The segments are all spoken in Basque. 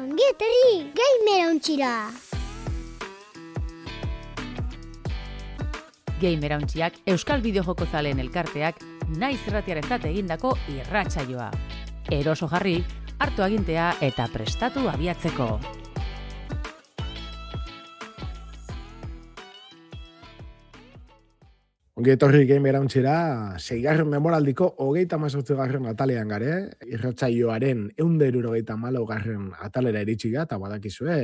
Ongi etorri, gamer ontsira! Gamer Hauntziak Euskal Bideojoko zaleen elkarteak naiz irratiarentzat egindako irratsaioa. Eroso jarri, hartu agintea eta prestatu abiatzeko. Ongi etorri Gamer Hauntzira, 6. memoraldiko 38. atalean gare, irratsaioaren 174. atalera iritsi ga, eta badakizue,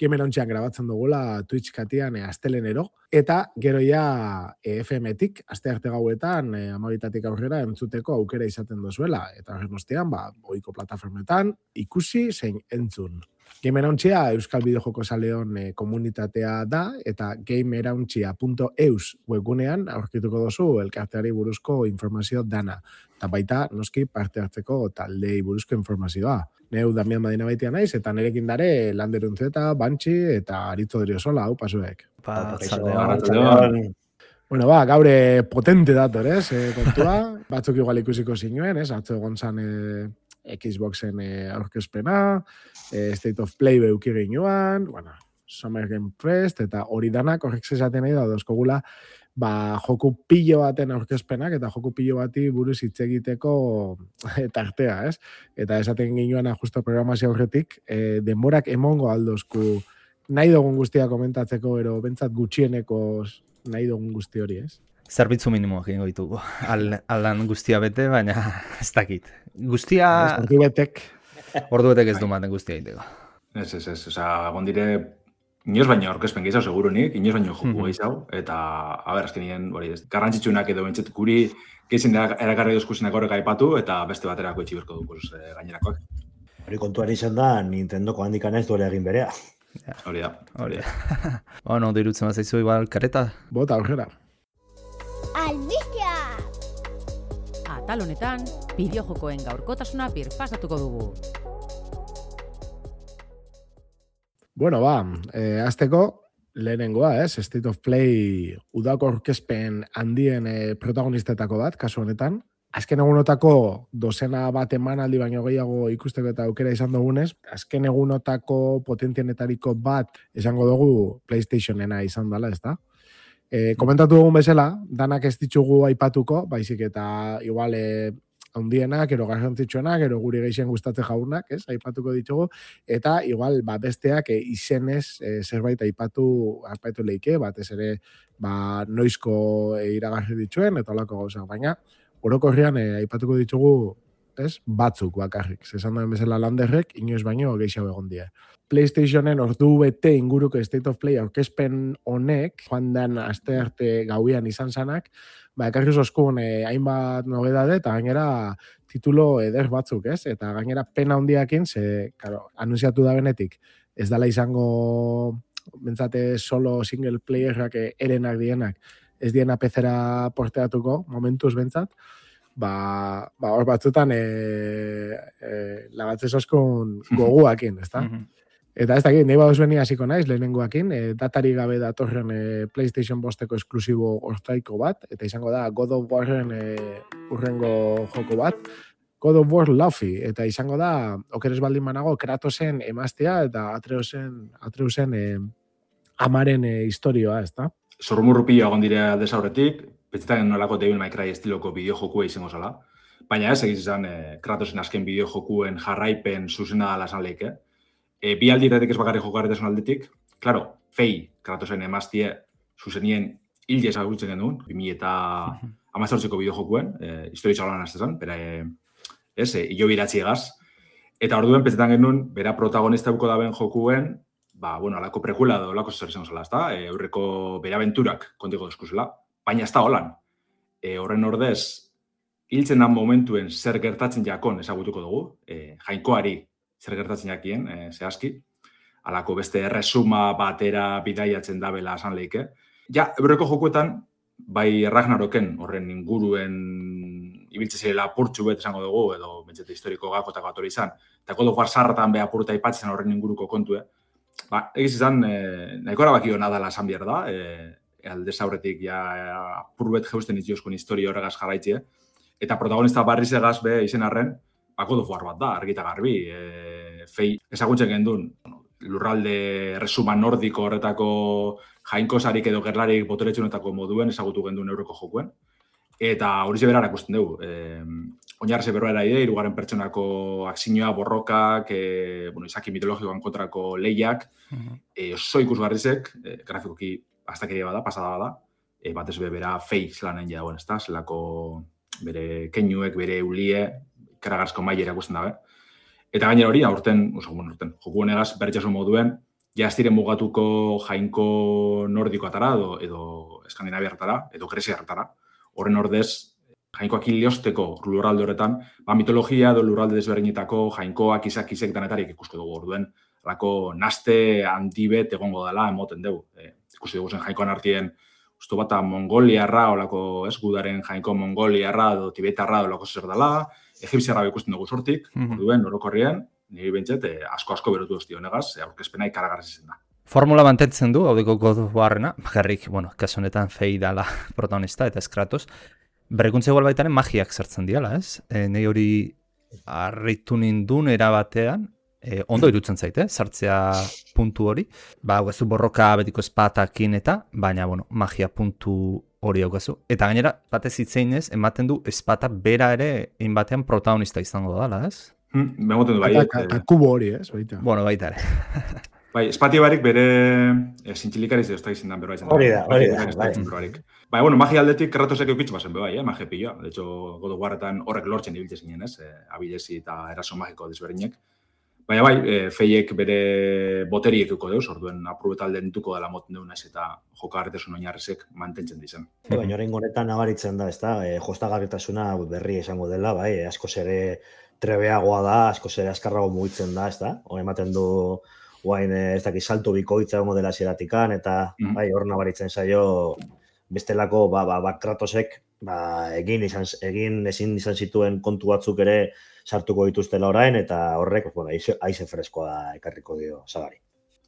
Gamer Hauntzian grabatzen dugula Twitch katian astelenero, eta gero ja FM-tik, astearte gauetan, 12 aurrera entzuteko aukera izaten dozuela, eta horren ostean, ohiko plataformetan, ikusi zein entzun. Gamer Hauntzia Euskal Bideojoko zaleon komunitatea da, eta gamerhauntzia.eus webgunean aurkituko dozu elkarteari buruzko informazio dana. Eta baita, noski parte hartzeko taldei buruzko informazioa. Neu Damian Madina baitia naiz, eta nerekin dare Landeruntzeta, Bantxi eta Aritzo Deriozola, hau pasuek. Bueno, gaure potente dator, kontua. Batzuk igual ikusiko zinuen, atzo egon zan Xboxen aurkezpena, State of Play beuki ginoan, Summer Game Fest, eta hori danak horrek zezaten nahi da, dozkogula, joku pilo baten aurkezpenak, eta joku pilo bati buruz hitz egiteko tartea, Eta esaten ginoan justo programazio aurretik, denborak emongo aldozku nahi dugun guztia komentatzeko, ero bentsat gutxieneko nahi dugun guzti hori, Zerbitzu minimoak egingo ditugu. Aldan guztia bete, baina ez dakit. Guztia... Ordu betek ez du maten guztia egiteko. Ez. Gondire, inoz baino aurkezpen gehiago segurunik, inoz baino joku gehiago, eta, azkenien, garrantzitsunak edo bentsat guri gehizien erakarri duzkusenak horrek aipatu, eta beste baterako etxiberko dukuz gainerakoak. Hori kontuari izan da, Nintendoko handikan ez duela egin berea. Hori da. Bueno, dirutzen bat zaizu igual kareta. Bota aurrera. Albistea! Atal honetan, bideojokoen gaurkotasuna birpasatuko dugu. Bueno, azteko lehenengoa, State of Play udako aurkezpen handien protagonistetako bat, kasu honetan. Azken egunotako dozena bat emanaldi baino gehiago ikusteko eta aukera izan dugunez, azken egunotako potentienetariko bat esango dugu PlayStationena izan dela, ezta? Komentatu dugun bezala, danak ez ditugu aipatuko, baizik eta igual handienak, ero garrantzitsuenak, ero guri gehien gustatze jaunak, aipatuko ditugu, eta igual besteak izenez zerbait aipatu leike, batez ere noizko iragarri dituen, eta olako gauza, baina orokorrean aipatuko ditugu batzuk bakarrik. Zesan duen bezala Landerrek, inoiz baino gehiago egon die. PlayStationen ordu bete inguruko State of Play aurkezpen honek, joan den astearte gauean izan zanak, ekarri oskun hainbat nobedade eta gainera titulo eder batzuk, Eta gainera pena handiakin, anunciatu da benetik, ez dela izango bentsate solo single playerrak erenak dienak, ez diena PC-era porteatuko, momentuz bentsat, hor batzutan lagatzez oskun goguakin, ezta? Eta ez dakit, nahi baduzbeni hasiko naiz, lehenengoakin, datari gabe datorren PlayStation 5-eko esklusibo hortaiko bat, eta izango da God of Warren urrengo joko bat, God of War Luffy, eta izango da, okeres baldin manago, Kratosen emaztea eta Atreusen amaren historioa, ezta? Zorrumurrupio egon dire aldez aurretik, pentsetan nolako Devil May Cry estiloko bideojokua izango zala. Baina ez egiz izan Kratosen azken bideojokuen jarraipen zuzena dala esan leike. Bi aldiratik ez bakarri jokaretesun aldetik. Claro, Fei, Kratosen emaztie zuzenien hilde ezagutzen genuen, 2018ko bideojokuen, historia txaloan aztezan, bera, hilo biratzi egaz. Eta orduen pentsetan genuen, bera protagonista buko daben jokuen, alako prekula edo alako zer izango zela, ezta? Aurreko bere abenturak kontiko deskuzela, baina ez da holan. Horren ordez, hiltzen dan momentuen zer gertatzen jakon ezagutuko dugu, jainkoari zer gertatzen jakien, zehazki, alako beste erresuma batera bidaiatzen dabela esan leike. Ja, aurreko jokuetan, bai Ragnaroken horren inguruen ibiltze zirela apurtxu bet esango dugu, edo bentsete historiko gakotako atori izan, eta God of War sarratan beha apurta ipatzen horren inguruko kontue. Egiz izan, nahiko erabakio nadala esan behar da, aldez aurretik apur bet jeusten itxioskun historia horregaz jarraitzie, eta protagonista barriz egaz be izen arren, God of War bat da, argita garbi. Fei, ezagutzen gendun, lurralde resuma nordiko horretako jainkosarik edo gerlarik boteretxunetako moduen ezagutu gendun euroko jokuen. Eta hori zeberar akusten dugu. Oinarreze berroa ide, hirugarren pertsonako akzinoa, borrokak, izaki mitologikoan kontrako lehiak, oso ikusgarrizek, grafikoki astakeria bada, pasada bada, batez bera Fei zelanen dagoen, ezta? Zelako bere keinuek, bere ulie, ikaragarrizko mailera ikusten dabe. Eta gainera hori, aurten, joku honegaz berritxasun moduen, jaztiren mugatuko jainko nordikoatara edo eskandinaviartara, edo gresiartara. Horren ordez, jainkoak hiliosteko lurralde horretan, mitologia edo lurralde desberdinetako jainkoak izak danetarik ikusko dugu orduen, alako naste handibet egongo dela emoten dugu. Ikusi dugu zen jainkoan artien, ustu bat mongoliarra, olako gudaren jainko mongoliarra edo tibetarra edo lako zer dela, egipziarra ikusten dugu sortik, orduen, orokorrien, niri bentset, asko berotu dozti honegaz, aurkezpena ikaragarriz izan da. Formula mantentzen du, haudeko God of Warrena, jarrik, kasu honetan Fei dala protagonista eta eskratos, berrikuntza igual baitaren magiak sartzen diala, ez? Nei hori harritu nindun erabatean, ondo irutzen zaite, sartzea puntu hori, guazu borroka betiko espatakin eta, baina, magia puntu hori daukazu. Eta gainera, batez hitzeinez, ematen du espata bera ere, batean protagonista izango dala, ez? Bemoten du bai. Eta kubo hori, ez? Baita. Baita ere. Bai, espati barik bere zintxilikariz edo izan da berba izan. Hori da. Magia aldetik Kratosek eukitz bazen bai, magia pilloa. De hecho, God of Warretan horrek lortzen ibiltzen zinen, ez? Abilezi eta eraso magiko desberdinek. Baina bai, Feiek bere boteriek euko deuz, orduen aprobetalden duko dela moten deunaz eta jokagarritasun oinarrezek mantentzen dizen. Baina horrein honetan nabaritzen da, ez da, jostagarritasuna berri esango dela, bai, askoz ere trebeagoa da, askoz ere askarrago mugitzen da, ez da? Hor ematen du guain ez dakit salto bikoitza egongo dela zeratikan, eta bai, hor nabaritzen zaio bestelako Kratosek egin ezin izan zituen kontu batzuk ere sartuko dituztela orain, eta horrek aize freskoa da ekarriko dio sagari.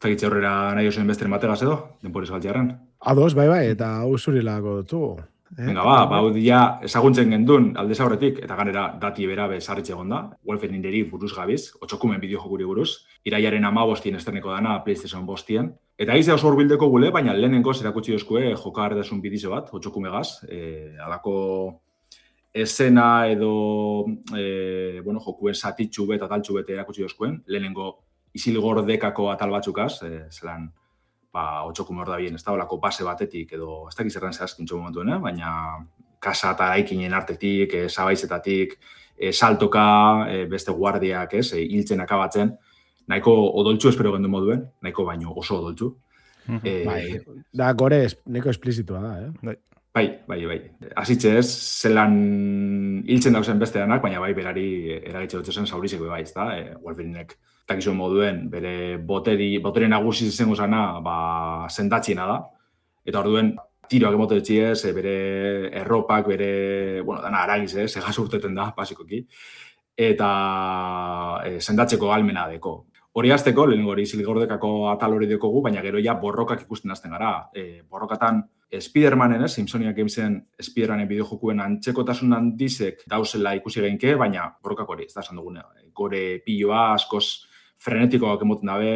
Zagitze horrera nahi osen besteren bategaz edo, denporiz galtzearen? Ados, bai, eta hau zurilako dutu. Venga, hau dia ezaguntzen gendun aldez aurretik, eta ganera dati bera bezarritxe egonda, Wolfeninderi buruz gabiz, 8 bideojokuri buruz, iraiaren 15 esterneko dana PlayStation 5. Eta egize oso urbildeko gule, baina lehenengo zerakutsi dozkue jokagarritasun bidizo bat, 8 megaz, alako esena edo jokuen satitxu bet, ataltxu bete erakutsi dozkuen, lehenengo isilgordekako atal batzukaz, zelan 8 hor da bien, ez da olako base batetik edo ez dakiz erran zehazkintxo momentuen, baina kasa eta eraikinen artetik, zabaizetatik, saltoka, beste guardiak, hiltzen akabatzen, nahiko odoltzu espero gendu moduen, nahiko baino oso odoltzu. Da gore nahiko esplizitua da, Bai. Azitxe ez, zelan hiltzen dauzen beste danak, baina bai berari eragitxe dut zen saurizeko bai, ez da, Wolverinek takizuen moduen, bere botere nagusi izango zana, sendatxiena da, eta orduen tiroak emote dutxiez, bere erropak, bere, dana aragiz, segaz urteten da, basikoki, eta sendatzeko almena deko. Hori azteko, lehenengo hori zilgordekako atal hori dekogu, baina gero ja borrokak ikusten azten gara. Borrokatan Spider-Manen, Simpsoniak egin Spider-Manen bideojokuen antzekotasun handizek dauzela ikusi geinke, baina borrokak hori, ez da esan dugune. Gore piloa, askoz frenetikoak emoten dabe,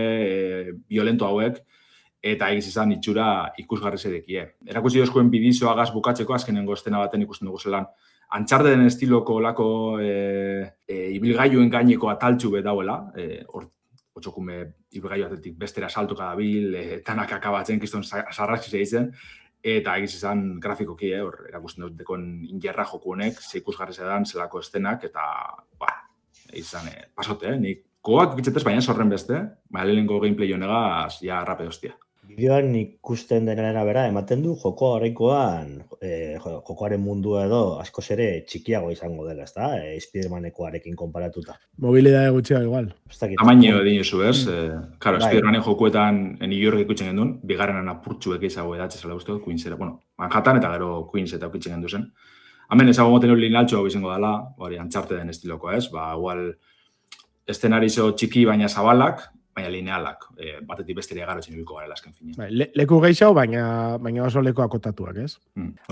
violento hauek, eta egiz izan itxura ikusgarri zedekie. Erakusi dozkuen bidizoagaz bukatzeko, azkenengo estena baten ikusten dugu zelan, Uncharteden estiloko olako ibilgailuen gaineko ataltxu bet dauela, otxokume ibilgailu atetik bestera saltuka dabil, tanak akabatzen, kiston sarraxi zeitzen, eta egiz izan grafikoki, hor erakusten dut dekon ingerra joku honek, ze ikusgarri zedan, zelako estenak, eta izan pasote, nik koak ikitzetez baina zorren beste, lehenengo gameplay honegaz, ja rape hostia. Bideoan ikusten denera bera, ematen du jokoa horreikoan, jokoaren mundua edo askoz ere txikiago izango dela, ez da? Spider-Manekoarekin konparatuta. Mobilidade gutxia igual. Tamaino edin zu, ez? Claro, Spider-Manen jokuetan New York ikutzen gendun, bigarrenan apurtxuek ezago edatxe zela guztiak, Queensera, Manhattan eta gero Queens eta ukitzen gendu zen. Hemen ezago moten hori linaltxo hau izango dela, hori Uncharteden estiloko, ez? Igual, estenarizo txiki baina zabalak, baina linealak, batetik besteria garotzen ibiko gara azken fina. Leku gehiago, baina oso leku akotatuak, ez?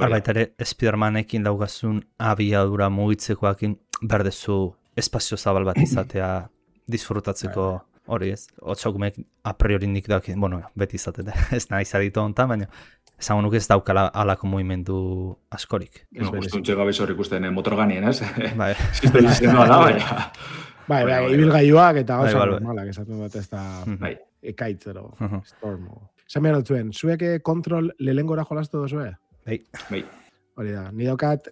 Baita ere, Spider-Manekin daugazun abiadura mugitzekoakin berdezu espazio zabal bat izatea disfrutatzeko hori ez. Otxaukumek a priori nik daki, bueno, beti izaten ez naiz aditu hontan, baina esango nuke ez daukala alako mugimendu askorik. Guztuntxe gabe hor ikusten motorganien, ez? Bai. Sistema izena da, baina. Bai, ibilgailuak eta gauza normalak, esaten bat ez da ekaitzero, stormo. Esan behar dutzuen, zuek kontrol lelengora jolastu duzue? Bai. Hori da, ni daukat,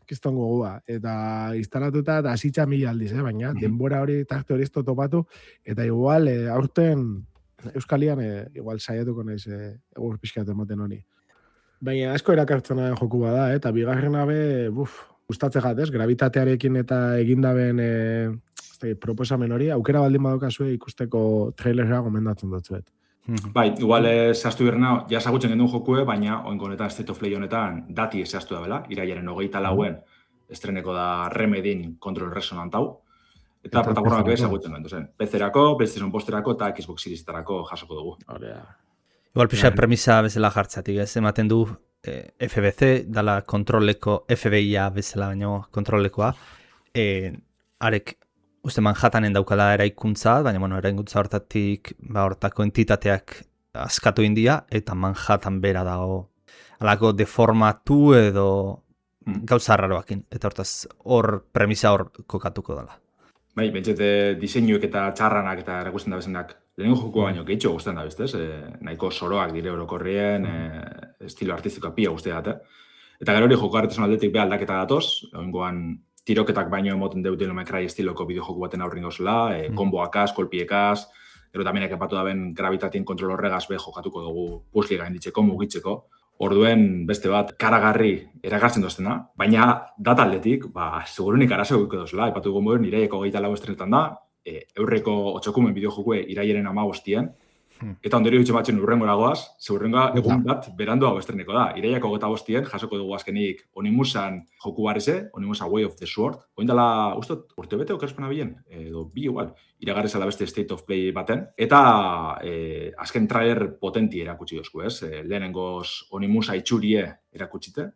kiston gogua, eta instalatuta da asitza 1000 aldiz, baina denbora hori tarte hori topatu, eta igual aurten Euskalian igual saiatuko naiz egur pixkat emoten honi. Baina asko erakartzena den joku bada, eta bigarrena gustatze gatez, gravitatearekin eta egindaben proposamen hori, aukera baldin badokazue ikusteko trailerra gomendatzen dutzuet. Bai, igual zehaztu birna, ja ezagutzen gendun jokue, baina oinko honetan State of Play honetan dati zehaztu da bela, iraiaren 24 estreneko da Remedin Control Resonant hau, eta plataformak ezagutzen gendu zen. PC-erako, PlayStation Posterako eta Xbox Series-tarako jasoko dugu. Igual pixa premisa bezala jartzatik, ez ematen du FBC, dala kontroleko, FBI-a bezala baino kontrolekoa, arek uste Manhattanen daukala eraikuntza, baina eraikuntza hortatik hortako entitateak askatu india, eta Manhattan bera dago alako deformatu edo gauza raroakin, eta hortaz hor premisa hor kokatuko dela. Bai, bentsete diseinuek eta txarranak eta erakusten da bezenak lehenengo joko baino gehitxo guztien da bestez, nahiko soroak dire orokorrien, estilo artistikoa pia guztiak eta gero hori joko artesan aldetik be aldaketa datoz, oingoan tiroketak baino emoten dut Devil May Cry estiloko bideojoku baten aurrin gauzela, konboakaz, kolpiekaz, gero taminak epatu daben gravitatien kontrol horregaz be jokatuko dugu puzzle gainditzeko, mugitzeko. Orduen beste bat karagarri erakartzen doztena, baina dataldetik, segurunik arazo guiko dozela, epatu dugu moduen iraieko 24 estrenetan da, eurreko 8 bideojokue iraiaren 15, eta ondorio ditxe batzen urrengora goaz, urrengoa egun bat berandu hau estreneko da. Iraiako 25 jasoko dugu azkenik Onimusan joku barreze, Onimusa Way of the Sword, oindala, ustot, urte bete okerspena bilen, edo bi igual, iragarreza da beste State of Play baten, eta azken trailer potenti erakutsi dozku, ez? Lehenengoz Onimusa itxurie erakutsite,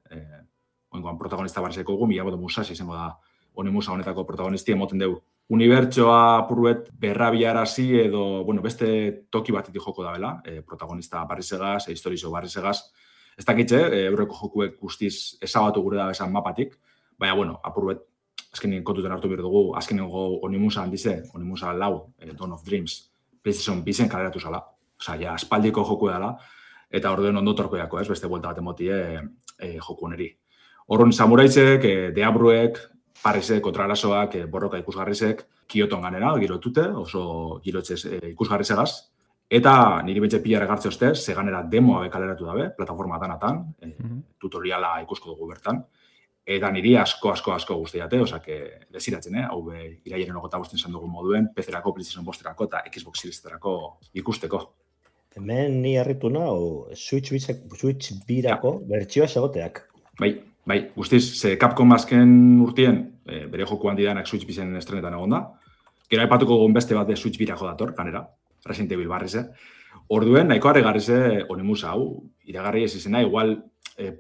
oingoan protagonista barrezeko dugu, Miyamoto Musashi izango da Onimusa honetako protagonisti emoten dugu. Unibertsoa puruet berrabiarazi edo, beste toki batetik joko da bela, protagonista barrizegaz, historizo barrizegaz. Ez dakitxe, eurreko jokuek guztiz ezabatu gure da esan mapatik, baina, apuruet, azkenien kontuten hartu behar dugu, azkenengo Onimusa handize, Onimusa 4, Dawn of Dreams, PlayStation bizen kaleratu zala, ja, aspaldiko joku dela, eta orduen ondo torkoiako, ez, beste buelta bat emotie joku honeri. Horren samuraizek, deabruek, Parisek, kontrarasoak, borroka ikusgarrizek, Kioton ganera, girotute, oso girotzez ikusgarrizegaz. Eta niri betxe pila regartze oste, seganera demoa bekaleratu dabe, plataforma danatan, tutoriala ikusko dugu bertan. Eta niri asko guztiate, osake, desiratzen, hau iraiaren 25 izan dugu moduen, PC-erako, PlayStation Posterako eta Xbox Series-tarako ikusteko. Hemen ni harritu nahu, Switch birako bertsioa esagoteak. Bai, guztiz, Capcom azken urtien, bere joku handi danak Switch bizen estrenetan egon da. Gero aipatuko gogun beste bat de Switch birako dator, kanera, Resident Evil barrize. Orduen, nahiko harregarrize Onimusa hau, iragarri ez izena, igual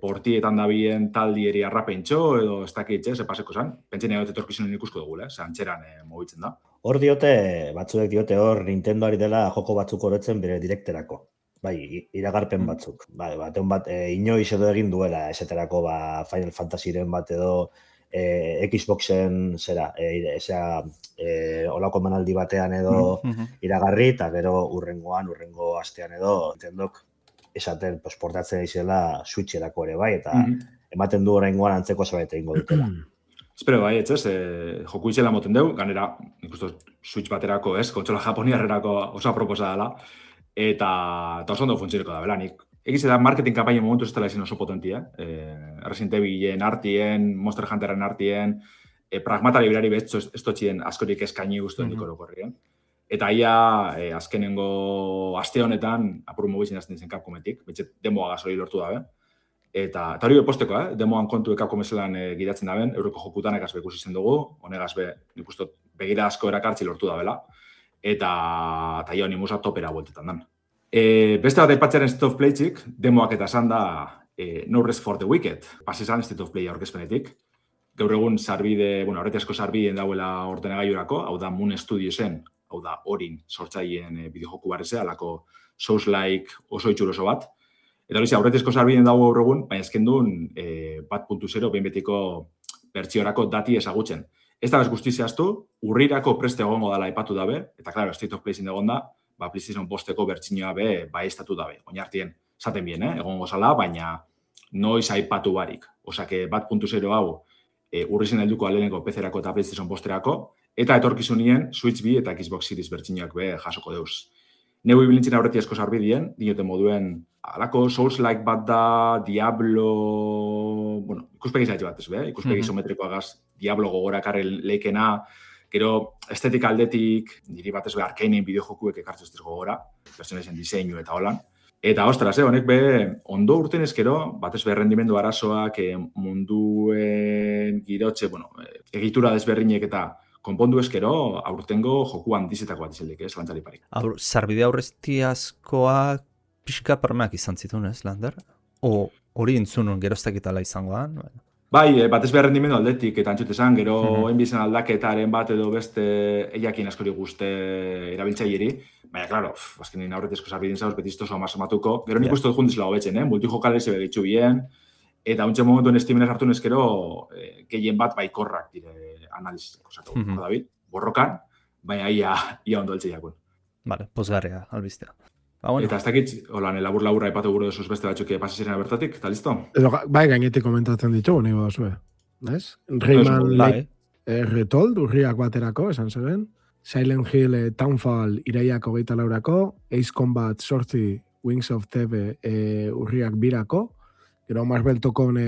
portietan dabien taldieri arrapentxo, edo ez dakitxe, paseko zan. Pentsen egote torkizunen ikusko dugu, zantxeran mobitzen da. Hor diote, batzuek diote hor Nintendoari dela joko batzuk orotzen bere direkterako. Bai, iragarpen batzuk. Bai, inoiz edo egin duela, esaterako Final Fantasyren bat edo Xboxen olako manaldi batean edo iragarri, eta gero urrengo astean edo Nintendok esaten portatzen izela Switcherako ere bai, eta ematen du oraingoan antzeko zerbait egingo dutela. Espero bai, joku izela moten dugu, ganera, ikustu Switch baterako, kontsola japoniarrerako oso aproposa dela, eta oso ondo funtzioneko da, belanik. Egiz da marketing kampaina momentu ez dela izan oso potentia, Resident Evilen artien, Monster Hunteren artien, pragmatari berari ez totxien askorik eskaini guztuen dikorokorrien. Eta ia, azkenengo aste honetan, apuru mobitzen azten zen Capcometik, betxet demoa gazori lortu dabe. Eta hori posteko, demoan kontu Capcom ezelan gidatzen daben, euroko jokutan egaz bekus izen dugu, honegaz nik uste begira asko erakartzi lortu dabela. Eta ia Onimusa topera bueltetan dan. Beste bat aipatzearen State of Play-txik, demoak eta esan da No Rest for the Wicked. Pasizan State of Play aurkezpenetik. gaur egun sarbide, horretazko sarbideen dauela ordenagailurako, hau da Moon Studiosen, hau da Orin sortzaileen bideojoku barrezea, alako Souls-like oso itxur oso bat. Eta hori aurretezko sarbideen dago gaur egun, baina ezken duen 1.0 behin betiko bertsiorako dati ezagutzen. Ez da bez guzti zehaztu, urrirako preste egongo dela aipatu dabe, eta klaro, State of Play egon da, PlayStation 5 bertsinioa be estatu dabe. Oinartien, zaten bien, egongo zala, baina noiz aipatu barik. Osake 1.0 hau urrizen helduko aleneko PC-erako eta PlayStation 5-erako, eta etorkizunien Switch 2 eta Xbox Series bertsinioak be jasoko deuz. Neu ibilintzen aurretiazko sarbidien, dinote moduen, alako Souls-like bat da, Diablo... ikuspegi zaitxe bat, ez be? Ikuspegi isometrikoagaz Diablo gogorakarre leikena, gero estetika aldetik, niri bat ez be Arkanein bideojokuek ekartzen ez gogora, personazen diseinu eta holan. Eta ostras, honek be, ondo urten ezkero, bat ez be rendimendu arazoak, munduen girotxe, egitura desberrinek eta konpondu ezkero, aurtengo joku handizetako bat izeldik, lantzari parik. Sarbide aurreztiazkoak pixka permeak izan zituen, Lander? O hori entzunun geroztakitala izangoan? Bai, bat ez behar rendimendu aldetik, eta antxutezan, gero enbizan aldaketaren bat edo beste eiakin askori guzte erabiltzaileri, baina, klaro, azkenin aurretezko sarbideen zauz, betiztoso amazamatuko, gero nik uste dut jundiz lago betzen, multijokale ze begitxu bien, eta untxe momentuen estimenez hartu nezkero, gehien bat baikorrak dire analizizeko, David, borrokan, baina ia ondo eltze jakun. Vale, pozgarria, albistea. Eta ez dakit, holan, labur-laburra ipatu gure duzuz beste batzuk pasazirena bertatik, eta listo? Bai, gainetik komentatzen ditugu, nahi badazue. Ez? Rayman Retold, urriak baterako, esan zeben. Silent Hill Townfall iraiak 24-rako. Ace Combat 8 Wings of Tebe urriak 2-rako. Gero Marvel Tokon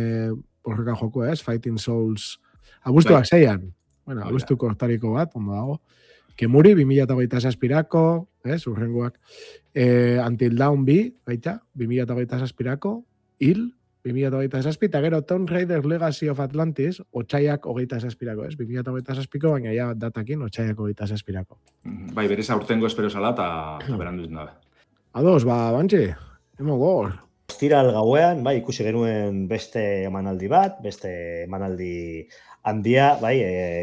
horreka joko, ez? Fighting Souls. Abuztuak 6-an. Bueno, abuztuko hortariko bat, ondo dago. Kemuri, 2027-rako, ez, urrengoak. Until Dawn 2, baita, 2027-rako. Hill, 2027, eta gero Tomb Raider Legacy of Atlantis, otxaiak 27-rako, ez? 2027-ko, baina ja datakin, otxaiak 27-rako. Bai, berez aurtengo espero zala, eta berandu izan dabe. Ados, Bantxi, emo gor. Ostiral gauean, bai, ikusi genuen beste emanaldi bat, beste emanaldi handia, bai,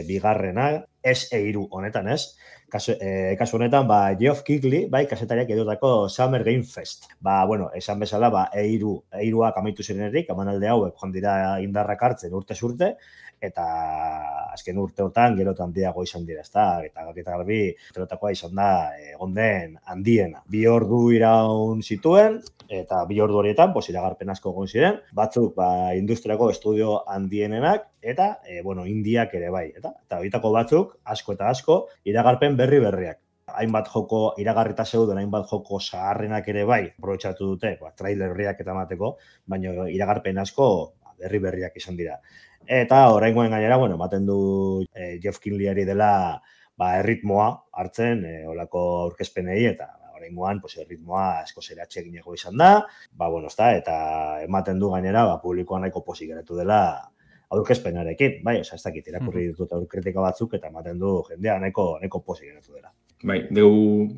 bigarrena, S3 honetan, ez? Kasu honetan, Geoff Keighley, bai, kasetariak edotako Summer Game Fest. Esan bezala, eiruak amaitu zirenerik, emanalde hauek joan dira indarrak hartzen urtez urte, eta azken urteotan gerotan handiago izan dira, eta garbi urteotakoa izan da egonden handiena. 2 ordu iraun zituen, eta 2 ordu horietan, iragarpen asko egon ziren, batzuk industriako estudio handienenak, eta indiak ere bai, eta horietako batzuk, asko eta asko, iragarpen berriak. Hainbat joko iragarrita zeuden, hainbat joko zaharrenak ere bai, aprobetxatu dute, trailer berriak eta mateko, baina iragarpen asko berriak izan dira. Eta oraingoen gainera, ematen du Geoff Keighleyari dela erritmoa hartzen olako aurkezpenei, eta oraingoan erritmoa asko zeratxe egineko izan da, eta ematen du gainera publikoa nahiko pozik geratu dela aurkezpenarekin, bai, ez dakit irakurri ditut aurkritika batzuk, eta ematen du jendea nahiko pozik geratu dela. Bai,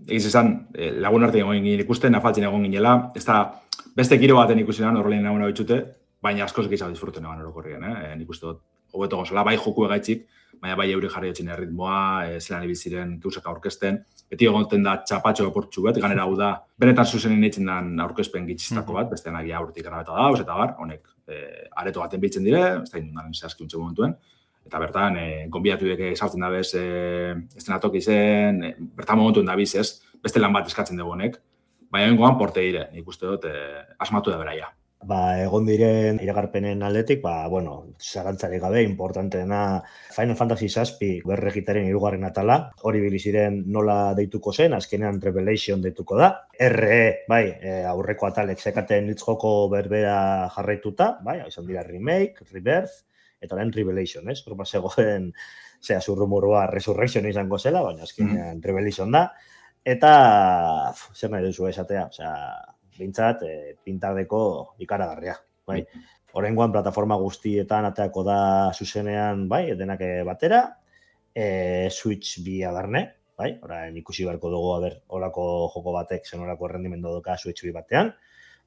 egiz esan, lagun arte egon ginen ikusten, afaltzen egon ginela, ez da beste giro baten ikusenan, horrelen naguna bitxute, baina askoz gehiago disfruten egon orokorrien, Nik uste dut, hobeto gozala, bai joku egaitzik, baina bai euri jarri etxin erritmoa, zelan ibiziren gauzak aurkezten, beti egonten da txapatxo eportxu bet, ganera hau da, benetan zuzenen eitzen den aurkezpen gitxistako bat, beste nagia aurretik grabeta dauz, eta bar, honek areto baten biltzen dire, ez da indunaren zehazki untxe momentuen, eta bertan, gonbidatu deke sartzen dabez, estenatoki zen, bertan momentuen dabiz ez, beste lan bat eskatzen dugu honek, baina bengoan porte dire, nik uste dut, asmatu da beraia. Egon diren iragarpenen aldetik, zarantzarik gabe, importanteena Final Fantasy VII berregitaren 3. atala, hori biliziren nola deituko zen, azkenean Revelation deituko da. RE, aurreko atalek zekaten hitz joko berbera jarraituta, izan dira Remake, Rebirth, eta orain Revelation, ez? Horba zegoen, zurrumurua Resurrection izango zela, baina azkenean Revelation da. Eta, zer nahi duzu esatea, bintzat, pintardeko ikaragarria. Horrengoan, plataforma guztietan ateako da zuzenean, denak batera, Switch 2 barne, orain ikusi beharko dugu, horako joko batek, zen horako errendimendu doka Switch 2 batean,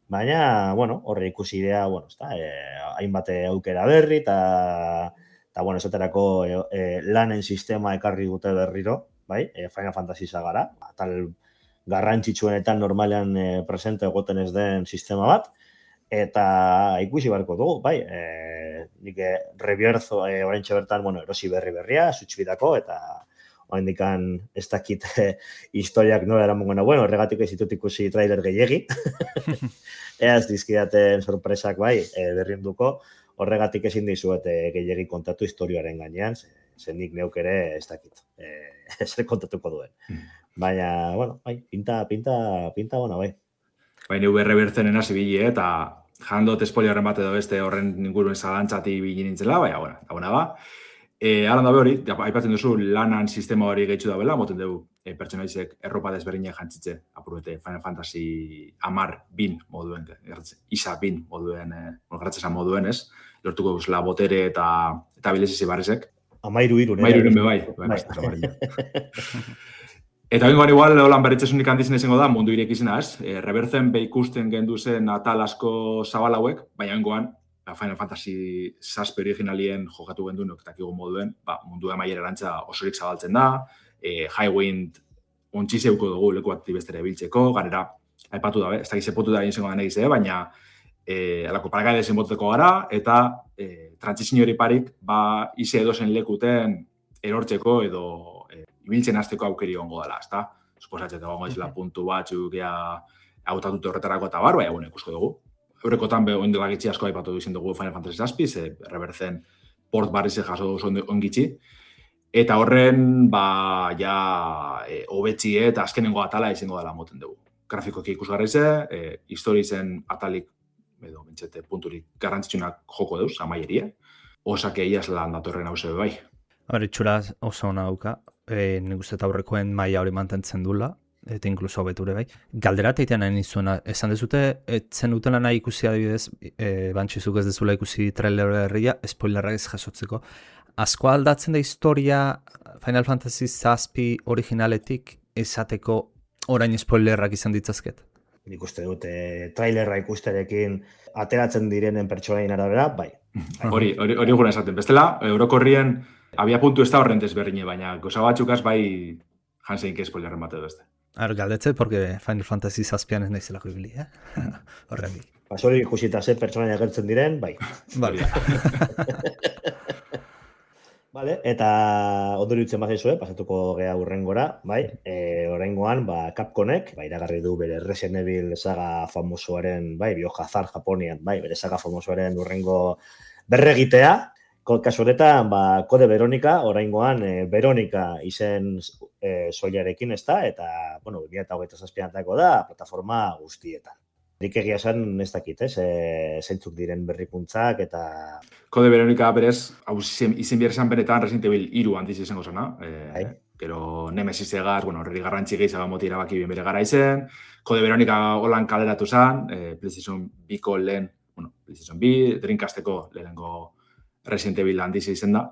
baina, horre ikusi idea, hainbat aukera berri, eta eta bueno, esaterako lanen sistema ekarri dute berriro, bai, Final Fantasy sagara, tal garrantzitsuenetan normalean presente egoten ez den sistema bat, eta ikusi barko dugu, bai, nik rebierzo oraintxe bertan, bueno, erosi berria, Switch-bidako, eta oraindikan ez dakit historiak nola eramango bueno, horregatik ez ditut ikusi trailer gehiegi, ez dizkidaten sorpresak bai, berriunduko, horregatik ezin dizuet gehiegi kontatu historiaren gainean, zen nik neuk ere ez dakit, zer kontatuko duen. Baina, bueno, bai, pinta, bueno, bai. Baina UR bertzenen hasi bile, eta jandot espoliaren bat edo beste horren inguruen zalantzati bile nintzela, baina, bueno, ba. Alan dabe hori, aipatzen duzu lanan sistema hori gehitzu da bela, moten dugu pertsonaizek erropa desberdinak jantzitze, apurute Final Fantasy 10 moduen, isa 20 moduen, gerratzezan moduen, ez? Lortuko guzla botere eta bilezisi barrizek. Amairu irun, bai. Eta bengoan igual, holan berritzesunik handizien izango da, mundu irek izena, ez? Rebertzen ikusten gendu zen atal asko zabal hauek, baina bengoan, Final Fantasy 7 originalien jokatu gendunok eta kigo moduen, mundu amaiera erantza osorik zabaltzen da, Highwind ontsi zeuko dugu leku bat bestere biltzeko, ganera, aipatu da, ez da gizepotu da egin zengo da negize, baina alako paragaide zenboteko gara, eta trantzizio hori parik, ize edozen lekuten erortzeko edo ibiltzen hasteko aukeri ongo dela, ezta? Suposatzen dago izela puntu batzuk hautatute horretarako eta bar, baina ikusko dugu. Eurekotan oindela gitzi asko aipatu izin dugu Final Fantasy 7, rebertzen port barrize jaso dugu ongitzi. Eta horren, hobetxie eta azkenengo atala izango dela moten dugu. Grafikoki ikusgarri ze, historizen atalik, edo bentsete punturik garrantzitsunak joko deuz, amaieria. Osake iaz lan datorren hau zebe bai. Itxura oso ona dauka, nik uste eta aurrekoen maila hori mantentzen dula, eta inkluso hobeture bai. Galdera teitean nahi nizuena, esan dezute, etzen dutela nahi ikusi adibidez, bantxizuk ez dezula ikusi trailer berria, spoilerrak ez jasotzeko. Asko aldatzen da historia Final Fantasy 7 originaletik esateko orain spoilerrak izan ditzazket? Nik uste dute trailerra ikusterekin ateratzen direnen pertsonaien arabera, bai. Hori gure esaten. Bestela, Eurokorrien abia puntu ez da horren desberdine, baina goza batzukaz bai jansein que spoilerren bat edo beste. Galdetze, porque Final Fantasy 7 ez nahizelako ibili, horretik. Hori ikusita ze pertsonaia agertzen diren, bai. Bale. Vale, eta ondoriutzen bazizue, pasatuko gea urrengora, bai, oraingoan, Capcomek, iragarri du bere Resident Evil saga famosoaren, bai, Biohazard Japonian, bai, bere saga famosoaren urrengo berregitea, kasu honetan, Kode Veronica, oraingoan, Veronica izen soilarekin ez da, eta, bueno, 2027 da, plataforma guztietan. Nik egia esan ez dakit, zeintzuk diren berrikuntzak eta... Kode Veronica berez, hau izen behar esan benetan Resident Evil 3 handiz izango zena. Gero Nemesis egaz, horreri garrantzi gehiago moti erabaki bien bere gara izen. Kode Veronica holan kaleratu zen, PlayStation 2ko lehen, PlayStation 2, Dreamcasteko lehenengo Resident Evil handiz izen da.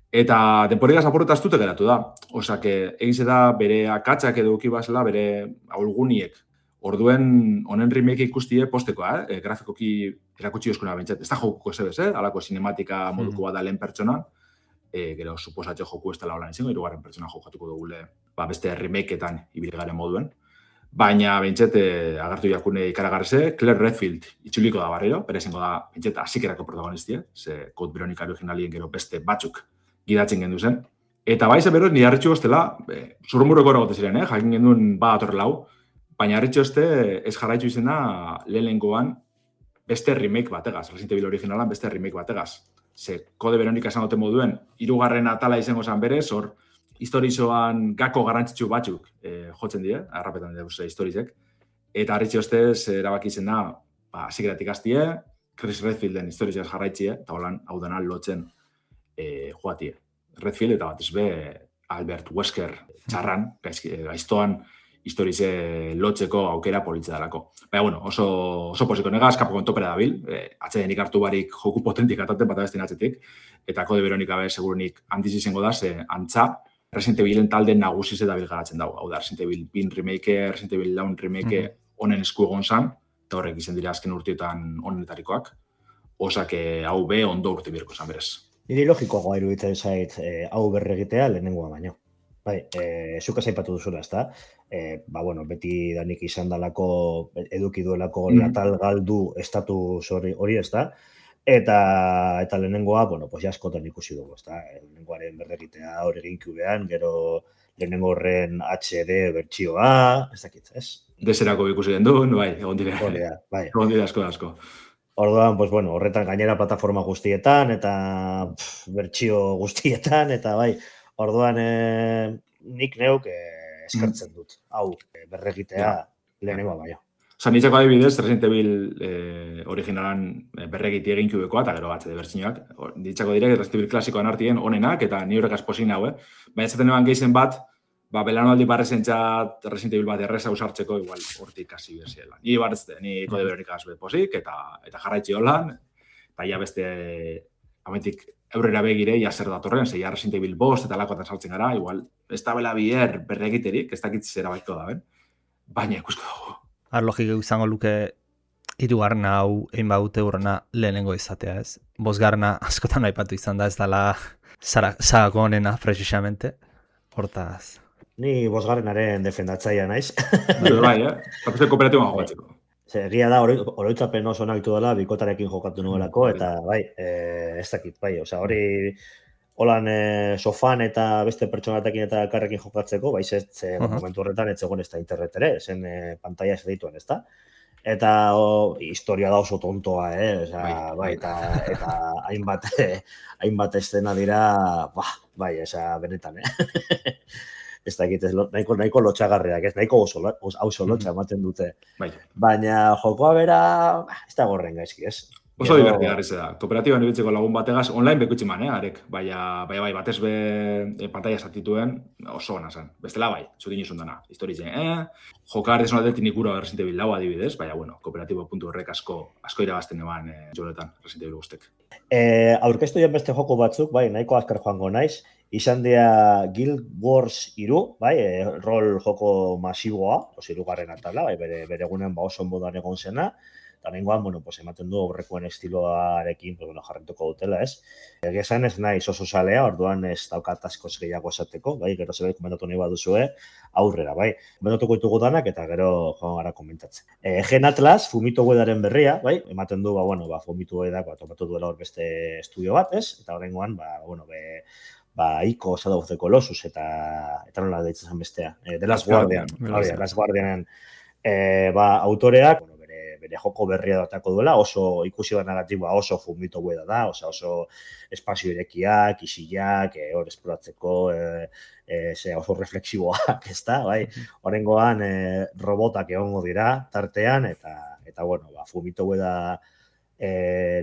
Eta denporigaz apurreta astute geratu da. Osake, egize da bere akatzak edo ukibazela, bere aulguniek. Orduen honen remake ikustie postekoa, grafikoki erakutsi euskuna bentsat. Ez da jokuko zebez, alako sinematika moduko bat da lehen pertsonan. Gero, suposatxe joku ez dela holan izango, hirugarren pertsona jokatuko dugule beste remakeetan ibilgaren moduen. Baina bentsat, agartu jakune ikaragarze, Claire Redfield itxuliko da barriro, bere izango da bentsat asikerako protagonistia, ze Code Veronica originalien gero beste batzuk gidatzen gendu zen. Eta baize beroz, nire harritxu goztela, zurrumurreko eragote ziren, jakin genduen atorrela hau, baina harritxo ez jarraitzu izena lehenengoan beste remake bategaz, Resident Evil originalan beste remake bategaz. Ze Kode Veronica esan dute moduen, 3. atala izango zen berez, hor historizoan gako garrantzitsu batzuk jotzen die, arrapetan dira historizek. Eta harritxo erabaki izena, asikeratik aztie, Chris Redfielden historizaz jarraitzie, eta holan hau dena lotzen joatie. Redfield eta bat ezbe Albert Wesker txarran, gaiztoan, historize lotzeko aukera politza dalako. Baina, bueno, oso posiko negaz, Capcom topera dabil, atzedenik hartu barik joku potentik ataten bat abestin atzetik, eta Kode Veronica segurunik handiz izango da, ze antza, Resident Evilen talde nagusi ze dabil garatzen dago. Hau da, Resident Evil 2 remake, Resident Evil 4 remake honen esku egon zan, eta horrek izan dira azken urteetan honenetarikoak, osake hau be ondo urte birko zan berez. Niri logikoagoa iruditzen zait hau berregitea lehenengoa baino. Bai, zuk aipatu duzula, ezta? Bueno, beti danik izan dalako, eduki duelako latal galdu estatus hori, ezta? Eta lehenengoa, bueno, pues askotan ikusi dugu, ezta? Lehenengoaren berregitea hori GameCubean, gero lehenengo horren HD bertsioa, ez dakit, ez? Deserako ikusi den duen, bai, egon dira. Bai. Egon dira asko. Orduan, pues bueno, horretan gainera plataforma guztietan, eta bertsio guztietan, eta bai, orduan nik neuk eskertzen dut, hau berregitea lehenengoa baino. Osa, nitzako adibidez, Resident Evil originalan berregiti egin kubekoa, eta gero HD bertsioak. Nitzako direk, Resident Evil klasikoan artien onenak, eta ni horrek asposin hau, Baina ez zaten eban geizen bat, belanaldi barrezentzat Resident Evil bat erreza usartzeko, igual hortik hasi beziela. Ni baretzte, ni kode berorik azbe posik, eta jarraitzi holan, eta ja beste ametik eurrera begire, ja zer datorren, zeia Resident Evil bost eta lakoatan saltzen gara, igual, ez da bela bier berregiterik, ez dakit zera baiko da, baina ikusko dugu. Logiko izango luke hirugarren hau egin badute urrena lehenengo izatea, ez? Bosgarna askotan aipatu izan da, ez dela sagako honena, precisamente, hortaz. Ni bosgarrenaren defendatzaia naiz. Bai, Eta kooperatiboan jokatzeko. Egia da, oroitzapen oso nahitu dela, bikotarekin jokatu nuelako, eta bai, ez dakit, bai, hori holan sofan eta beste pertsonatekin eta elkarrekin jokatzeko, bai, momentu horretan ez zegoen ez da internet ere, zen pantalla ez dituen, ez da? Eta historia da oso tontoa, bai, eta hainbat estena dira, bai, benetan, ez dakit, nahiko lotxagarriak, ez nahiko oso lotxa ematen dute. Baina jokoa bera, ez da gorren gaizki, ez? Oso divertigarri ze da. Kooperatiban ibiltzeko lagun bategaz, online bekutsi man, arek. Baina, batez be pantalla zatituen oso gana zen. Bestela bai, zutin izun dana. Historitzen, jokar desun aldetik nikura Resident Evil lau adibidez, baina, bueno, kooperatibo puntu horrek asko irabazten eban jonetan Resident Evil guztek. Aurkeztu joan beste joko batzuk, bai, nahiko azkar joango naiz. Izan dira Guild Wars 3, bai, rol joko masiboa, hirugarren atala, bai, bere egunen oso modan egon zena. Eta nengoan, bueno, ematen du aurrekoen estiloarekin, jarretuko dutela, ez? Egia esan ez naiz oso salea, orduan ez daukat askoz gehiago esateko, bai, gero zerbait komentatu nahi baduzue, aurrera, bai. Komentatuko ditugu danak eta gero joan gara komentatzen. Gen Atlas, Fumito Uedaren berria, bai, ematen du, Fumito Uedak, topatu duela hor beste estudio bat, ez? Eta horrengoan, Ico, Shadow of the Colossus, eta nola deitzen zen bestea. The Last Guardian, Last Guardianen autoreak, bere joko berria datako duela, oso ikusi banagatiboa oso Fumito Ueda da, oso espazio irekiak, isilak, hor esploratzeko, oso refleksiboak, ez da, bai? Horrengoan, robotak egongo dira tartean, eta Fumito Ueda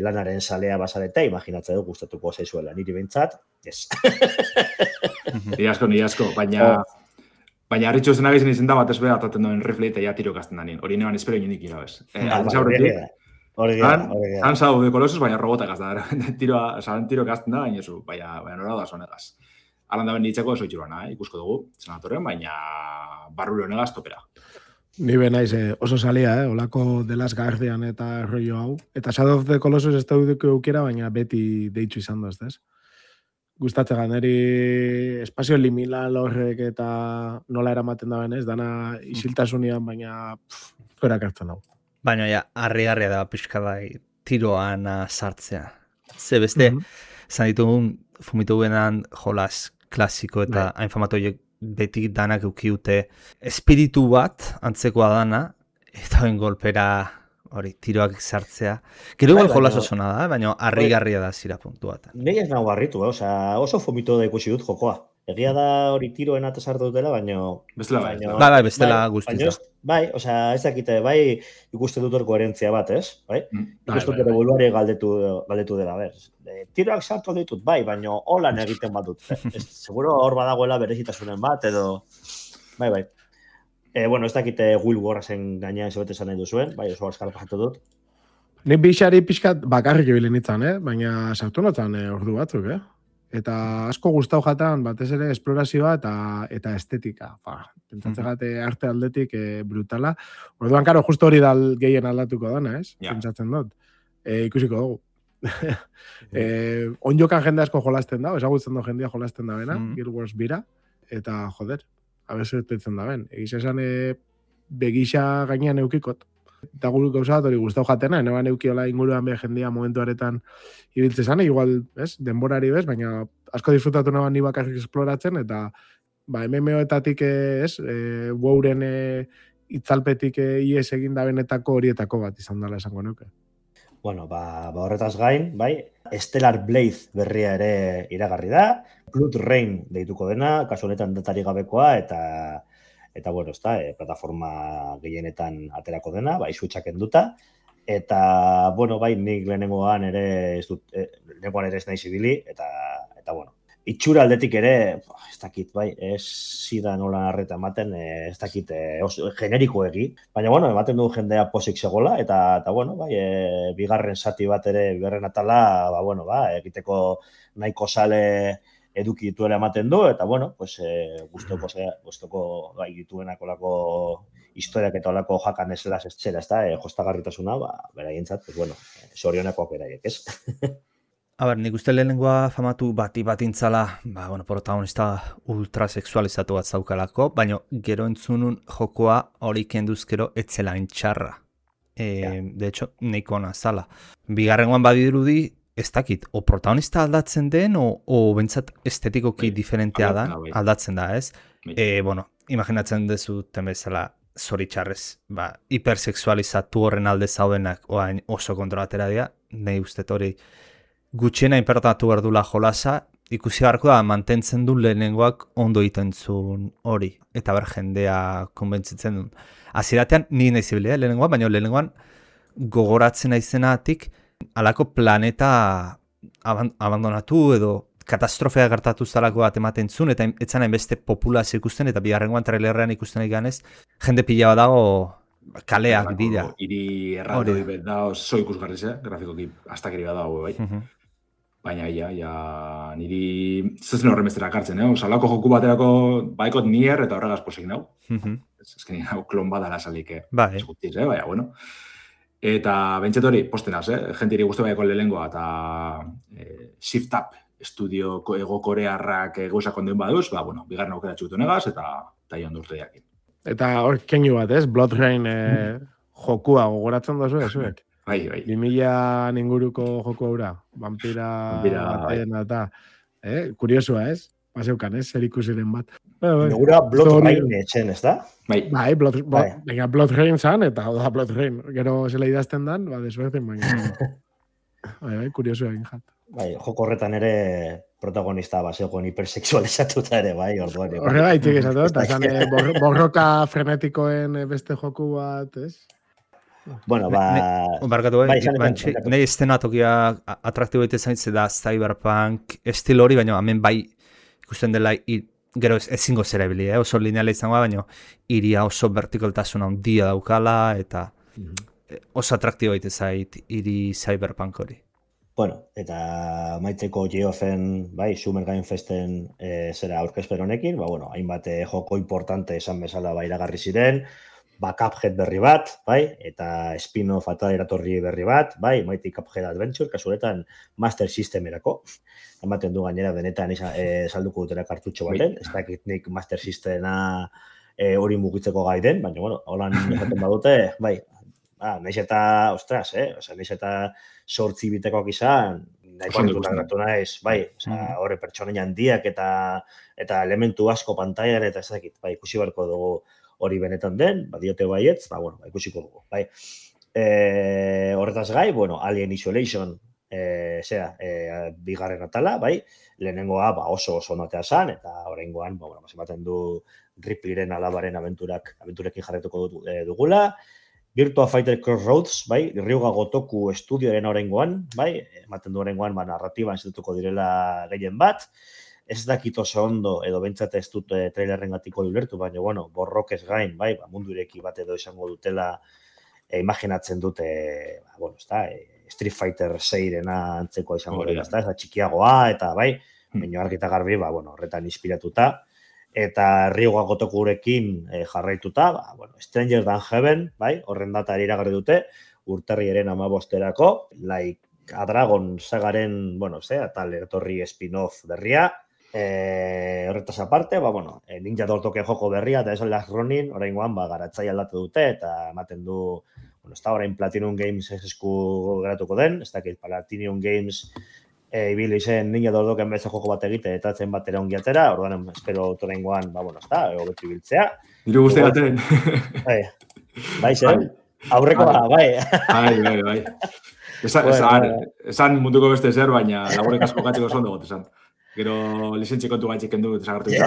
lanaren salea bazareta, imaginatzen du gustatuko zaizuela, niri behintzat, ez. Ni asko, baina harritxo zen agizien izen da bat ez beha ataten duen rifle eta ja tiro kasten danien. Hori neban espero inonik irabez. Han Shadow of the Colossus, baina robotak azta. Tiro kasten da, baina nora da zonegaz. Alan da ben ditzeko oso itxuruana, ikusko dugu, senatorren, baina barrulo negaz topera. Ni benaiz oso salia, olako The Last Guardian eta rollo hau. Eta Shadow of the Colossus ez da duduko eukera, baina beti deitzu izan da, ez? Gustatzega, niri espazio liminal horrek eta nola eramaten da benez, dana isiltasunian, baina fuerak hartzen hau. Baina harri-harria da pixka bai tiroan sartzea. Ze beste, zan ditugun Fumito Uedan jolas klasiko eta hain famatoiek beti danak eukiute espiritu bat antzekoa dana, eta hoen golpera hori, tiroak sartzea. Gero igual jolas oso nada, baina harri-garria da zira puntu bat. Nei ez nago harritu, oso Fumito da ikusi dut jokoa. Egia da hori tiroen ate sartu dutela, baina... Bestela bai. Bai, bestela guztiza. Bai, ez dakite, bai ikusten dut hor koherentzia bat, ez? Bai? Ikusten dut evoluari galdetu dela, ber. Tiroak sartu ditut, bai, baina holan egiten bat dut. Seguro hor badagoela berezitasunen bat, edo... Bai. Ez dakite Will Warrasen gainean zebete esan nahi duzuen, bai, oso azkar pasatu dut. Nik bixari pixkat bakarrik ebilen itzan, baina sartu notzan ordu batzuk, Eta asko gustau jatan, batez ere esplorazioa eta estetika. Pentsatzegat arte aldetik brutala. Orduan, karo, justo hori da gehien aldatuko dana, ez? Pentsatzen dut. Ikusiko dugu. Onjokan jende asko jolasten da, ezagutzen da jendia jolasten da bena, Guild Wars bira, eta joder, abesertetzen da ben. Egiz esan begisa gainean eukikot. Eta gure gauza bat hori guztau jatena, neban eukiola inguruan be jendia momentu aretan ibiltze zane, igual, denborari bez, baina asko disfrutatu neban ni bakarrik esploratzen, eta MMO-etatik WoWren itzalpetik ies egin da benetako horietako bat izan dela esango nuke. Bueno, horretaz gain, bai, Stellar Blade berria ere iragarri da, Blood Rain deituko dena, kasu honetan datari gabekoa, eta bueno, plataforma gehienetan aterako dena, bai, Switchak enduta, eta, bueno, bai, nik lehenengoan ere ez naiz ibili, eta bueno, itxura aldetik ere, ez dakit, bai, ez zidan nola arreta ematen, ez dakit, generikoegi, baina, bueno, ematen du jendea posik segola, eta bueno, bai, bigarren sati bat ere, bigarren atala, egiteko nahiko sale eduki dituela ematen du, eta, bueno, pues, gustoko gai dituenak olako historiak eta olako jakan esela zela, jostagarritasuna, beraientzat, pues, bueno, sorionekoak beraiek, ez? A ber, nik uste lehenengoa famatu batintzala, protagonista ultrasexualizatu bat zaukalako, baina gero entzunun jokoa hori kenduzkero etzela txarra. De hecho, neiko ona zala. Bigarrengoan badirudi, ez dakit, o protagonista aldatzen den, o bentsat estetikoki diferentea da, aldatzen da, ez? Imaginatzen dezu temezela zoritxarrez, hipersexualizatu horren alde zaudenak, oain oso kontrolatera dira, nahi uste hori gutxiena inpertatu behar dula jolasa, ikusi beharko da mantentzen du lehenengoak ondo egiten zuen hori, eta ber jendea konbentzitzen duen. Aziratean, ni nahi zibilia lehenengoan, baina lehenengoan gogoratzen aizenatik alako planeta abandonatu edo katastrofea gertatu zalako bat ematen zuen, eta etzan hainbeste populazio ikusten, eta bigarrengoan trailerrean ikusten eganez, jende pila bat dago kaleak dira. Iri erraldoi bet da oso ikusgarri grafikoki astakeri bat dago, bai. Baina, niri zezen horren bestera kartzen, Salako joku baterako baikot nier eta horregaz posik nau. Ez que nire klon badala salik, eskutiz, baina, bueno. Eta bentset hori, posten haz, jentiri guztu baiako lehengoa, eta Shift Up estudio ego korearrak gauzak ondeun baduz, bigarren aukera txutu negaz, eta joan durte jakin. Eta hor keinu bat, Blood Rain jokua gogoratzen dozu, ezuek? Bai. 2000 inguruko joku haura, vampira batean eta, kuriosua, ez? Paseukan, zer ikusiren bat. Negura Blood Rain etxen, ez da? Bai, Blood Rain zan, eta da Blood Rain. Gero zela idazten dan, desuerten baina. Bai, kuriosua egin jat. Bai, joko horretan ere protagonista basegoen hipersexualizatuta ere, bai, orduan. Horregaitik esatu, eta zan borroka frenetikoen beste joku bat, ez? Bueno, barkatu, nahi estenatokia atraktibo egite zaintze da cyberpunk estil hori, baina hemen bai ikusten dela gero ezingo zera ibili, oso lineala izango, baina iria oso vertikaltasuna handia daukala, eta oso atraktibo egite zait iri cyberpunk hori. Bueno, eta maiteko Geofen, Summer Game Festen zera aurkezpen honekin, hainbat joko importante esan bezala iragarri ziren, Cuphead berri bat, eta spin-off eta eratorri berri bat, Mighty Cuphead Adventure, kasuretan Master Systemerako. Ematen du gainera benetan salduko dutela kartutxo baten, ez dakit nik Master Systema hori mugitzeko gai den, baina, holan esaten badute, nahiz eta, nahiz eta 8 bitekoak izan, nahiko kontunak naiz, horre pertsonen handiak eta elementu asko pantailan, eta ez dakit, ikusi beharko dugu hori benetan den, diote baietz, ikusiko dugu. Horretaz gai, Alien Isolation, bigarren atala, lehenengoa oso notea zan, eta horrengoan, ematen du Ripleyren alabaren abenturekin jarretuko dugula, Virtua Fighter Crossroads, Ryuga Gotoku estudioaren horrengoan, ematen du horrengoan, narratiban institutuko direla gehien bat, ez dakit oso ondo, edo bentsat ez dut trailerren gatiko ulertu, baina, borrokez gain, mundu ireki bat edo izango dutela, imaginatzen dute, Street Fighter 6-rena antzekoa izango dela, ez da, txikiagoa, eta, baina argita garbi, horretan inspiratuta, eta Ryuga Gotokurekin jarraituta, Stranger Than Heaven, horren data iragarri dute, urtarriaren 15-erako, a Dragon sagaren, bueno, tal etorri spin-off berria. Horretaz aparte, Ninja Dortoken joko berria, eta esan Last Ronin, oraingoan, garatzai aldatu dute, eta ematen du, orain Platinum Games esku geratuko den, ez dakit, Platinum Games ibili zen Ninja Dortoken beste joko bat egite, eta zen batera ongi atera, orduan, espero oraingoan, hobetu ibiltzea. Diru guzti gaten. Bai, zen? Aurrekoa, bai. Bai. Esan munduko beste zer, baina laborek asko gatzeko zondo gote esan. Gero lizentzi kontu gaitxik kendu desagartu izan.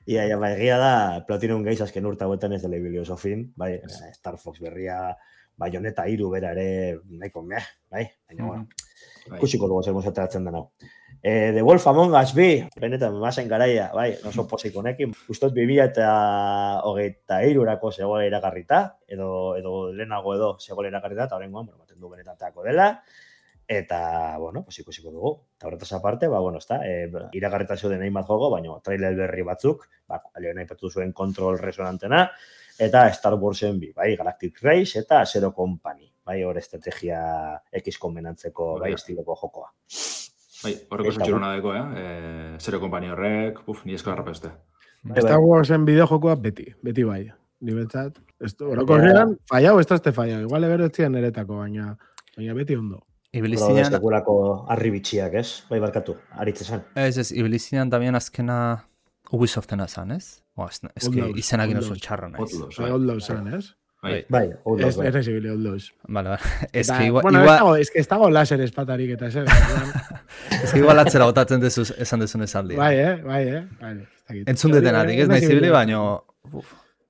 Ia, egia da, Platinum Games azken urta hauetan ez dela ibili oso fin, bai, Star Fox berria, Bayonetta 3 bera ere, nahiko bai, baina, kusiko dugu zer mozateratzen den hau. The Wolf Among Us bi, benetan, masen garaia, bai, oso posik honekin. Ustot 2023 zegoela iragarrita, edo lehenago edo zegoela iragarrita, eta horrengoan, baten du benetan teako dela, eta, ikusiko dugu. Eta horretaz aparte, iragarrita zeuden hainbat jogo, baina trailer berri batzuk, lehen aipatu zuen Control Resonantena, eta Star Warsen bi, bai, Galactic Race eta Zero Company, bai, hor estrategia X konbenantzeko, bai, estiloko jokoa. Bai, horreko zentxurona deko, Zero Company horrek, ni esko harrapeste. Star Warsen bideojokoa beti bai. Nibetzat, horreko horrean, fallau, ez da fallau. Igual ebero etzian eretako, baina beti ondo. Ibilizinan... Sekulako harri bitxiak, ez? Bai, barkatu, aritzezan. Ez, Ibilizinan también azkena Ubisoftena zan, ez? Ez que izenak inozo txarra naiz. Outlaws zan, ez? Bai, Outlaws. Ez ezibili Outlaws. Vale. Ez que igual... Bueno, ez que ez dago laser espatarik eta zer. Ez que igual atzera botatzen dezuz esan dezun esaldi. Bai. Entzun detenatik, ez nahi zibili, baino...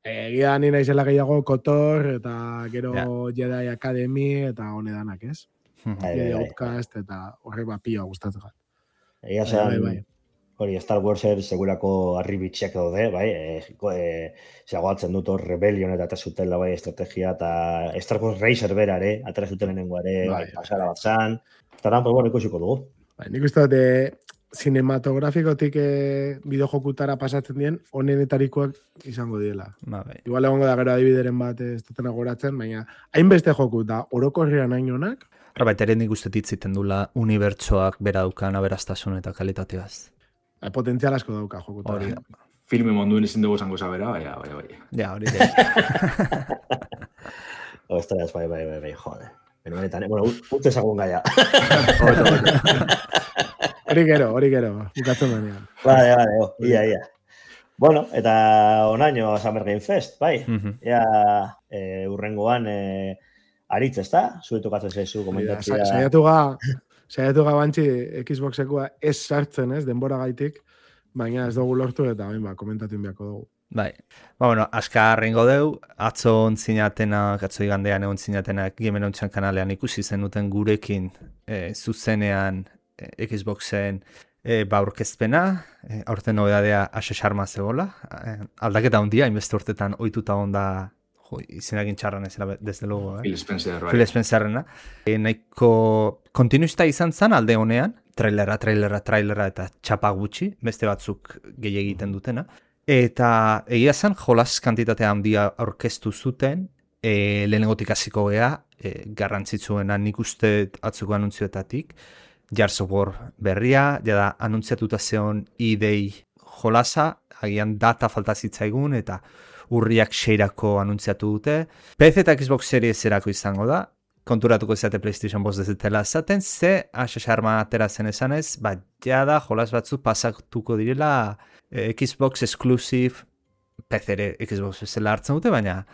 Egia ni naizela gehiago KOTOR eta gero Jedi Academy eta honedanak, ez? Outcast eta horrek pioa gustatzen gara. Egia zen, hori Star Warser segurako harri bitxiak daude, bai, zegoatzen dut hor Rebellion eta zutela bai estrategia eta Star Wars Racer bera ere, atera zuten lehenengo ere, pasara bat zan, eta lan, ikusiko dugu. Nik uste dut, cinematografikotik bideojokutara pasatzen dien, honenetarikoak izango diela. Igual egongo da gero adibideren bat ez dutena goratzen, baina hainbeste joku eta orokorrean hain honak. Baita ere nik uste ditziten dula unibertsoak bera dukan aberastasuna eta kalitateaz. Potentzial asko dauka jokutara. Filme monduen ezin dugu zango zabera, bai. Ja, hori da. Ostras, bai, jode. Utze zagun gaia. Hori gero, bukatzen denean. Vale, ia. Bueno, eta onaino Summer Game Fest, bai. Urrengoan aritz, ez da? Zure tokatzen zaizu komentatzea. Saiatu gabantzi Xboxekoa ez sartzen, ez, denbora gaitik, baina ez dugu lortu eta komentatu inbiako dugu. Bai, askar ringo deu, atzo igandean egon zinatenak Gamer Ontsan kanalean ikusi zenuten gurekin zuzenean Xboxen aurkezpena, aurten nobedadea Ashe Sharma zegoela, aldaketa hondia, inbeste urtetan ohituta onda izenakin txarran ezela, desde luego. Phil Spencer, bai. Phil Spencerrena. Nahiko kontinuista izan zen alde honean, trailera eta txapa gutxi, beste batzuk gehi egiten dutena. Eta egia zen, jolas kantitatea handia aurkeztu zuten, lehenengotik hasiko gea, garrantzitsuena nik uste atzuko anuntzioetatik, Gears of War berria, jada anuntziatuta zeon idei jolasa, agian data falta zitzaigun, eta urriak 6-ako anuntziatu dute. PC eta Xbox Series erako izango da, konturatuko izate PlayStation 5 dezetela esaten, ze Ashe Sharma atera zen esanez, jada jolas batzu pasatuko direla Xbox Exclusive, PC ere Xbox ezela hartzen dute, baina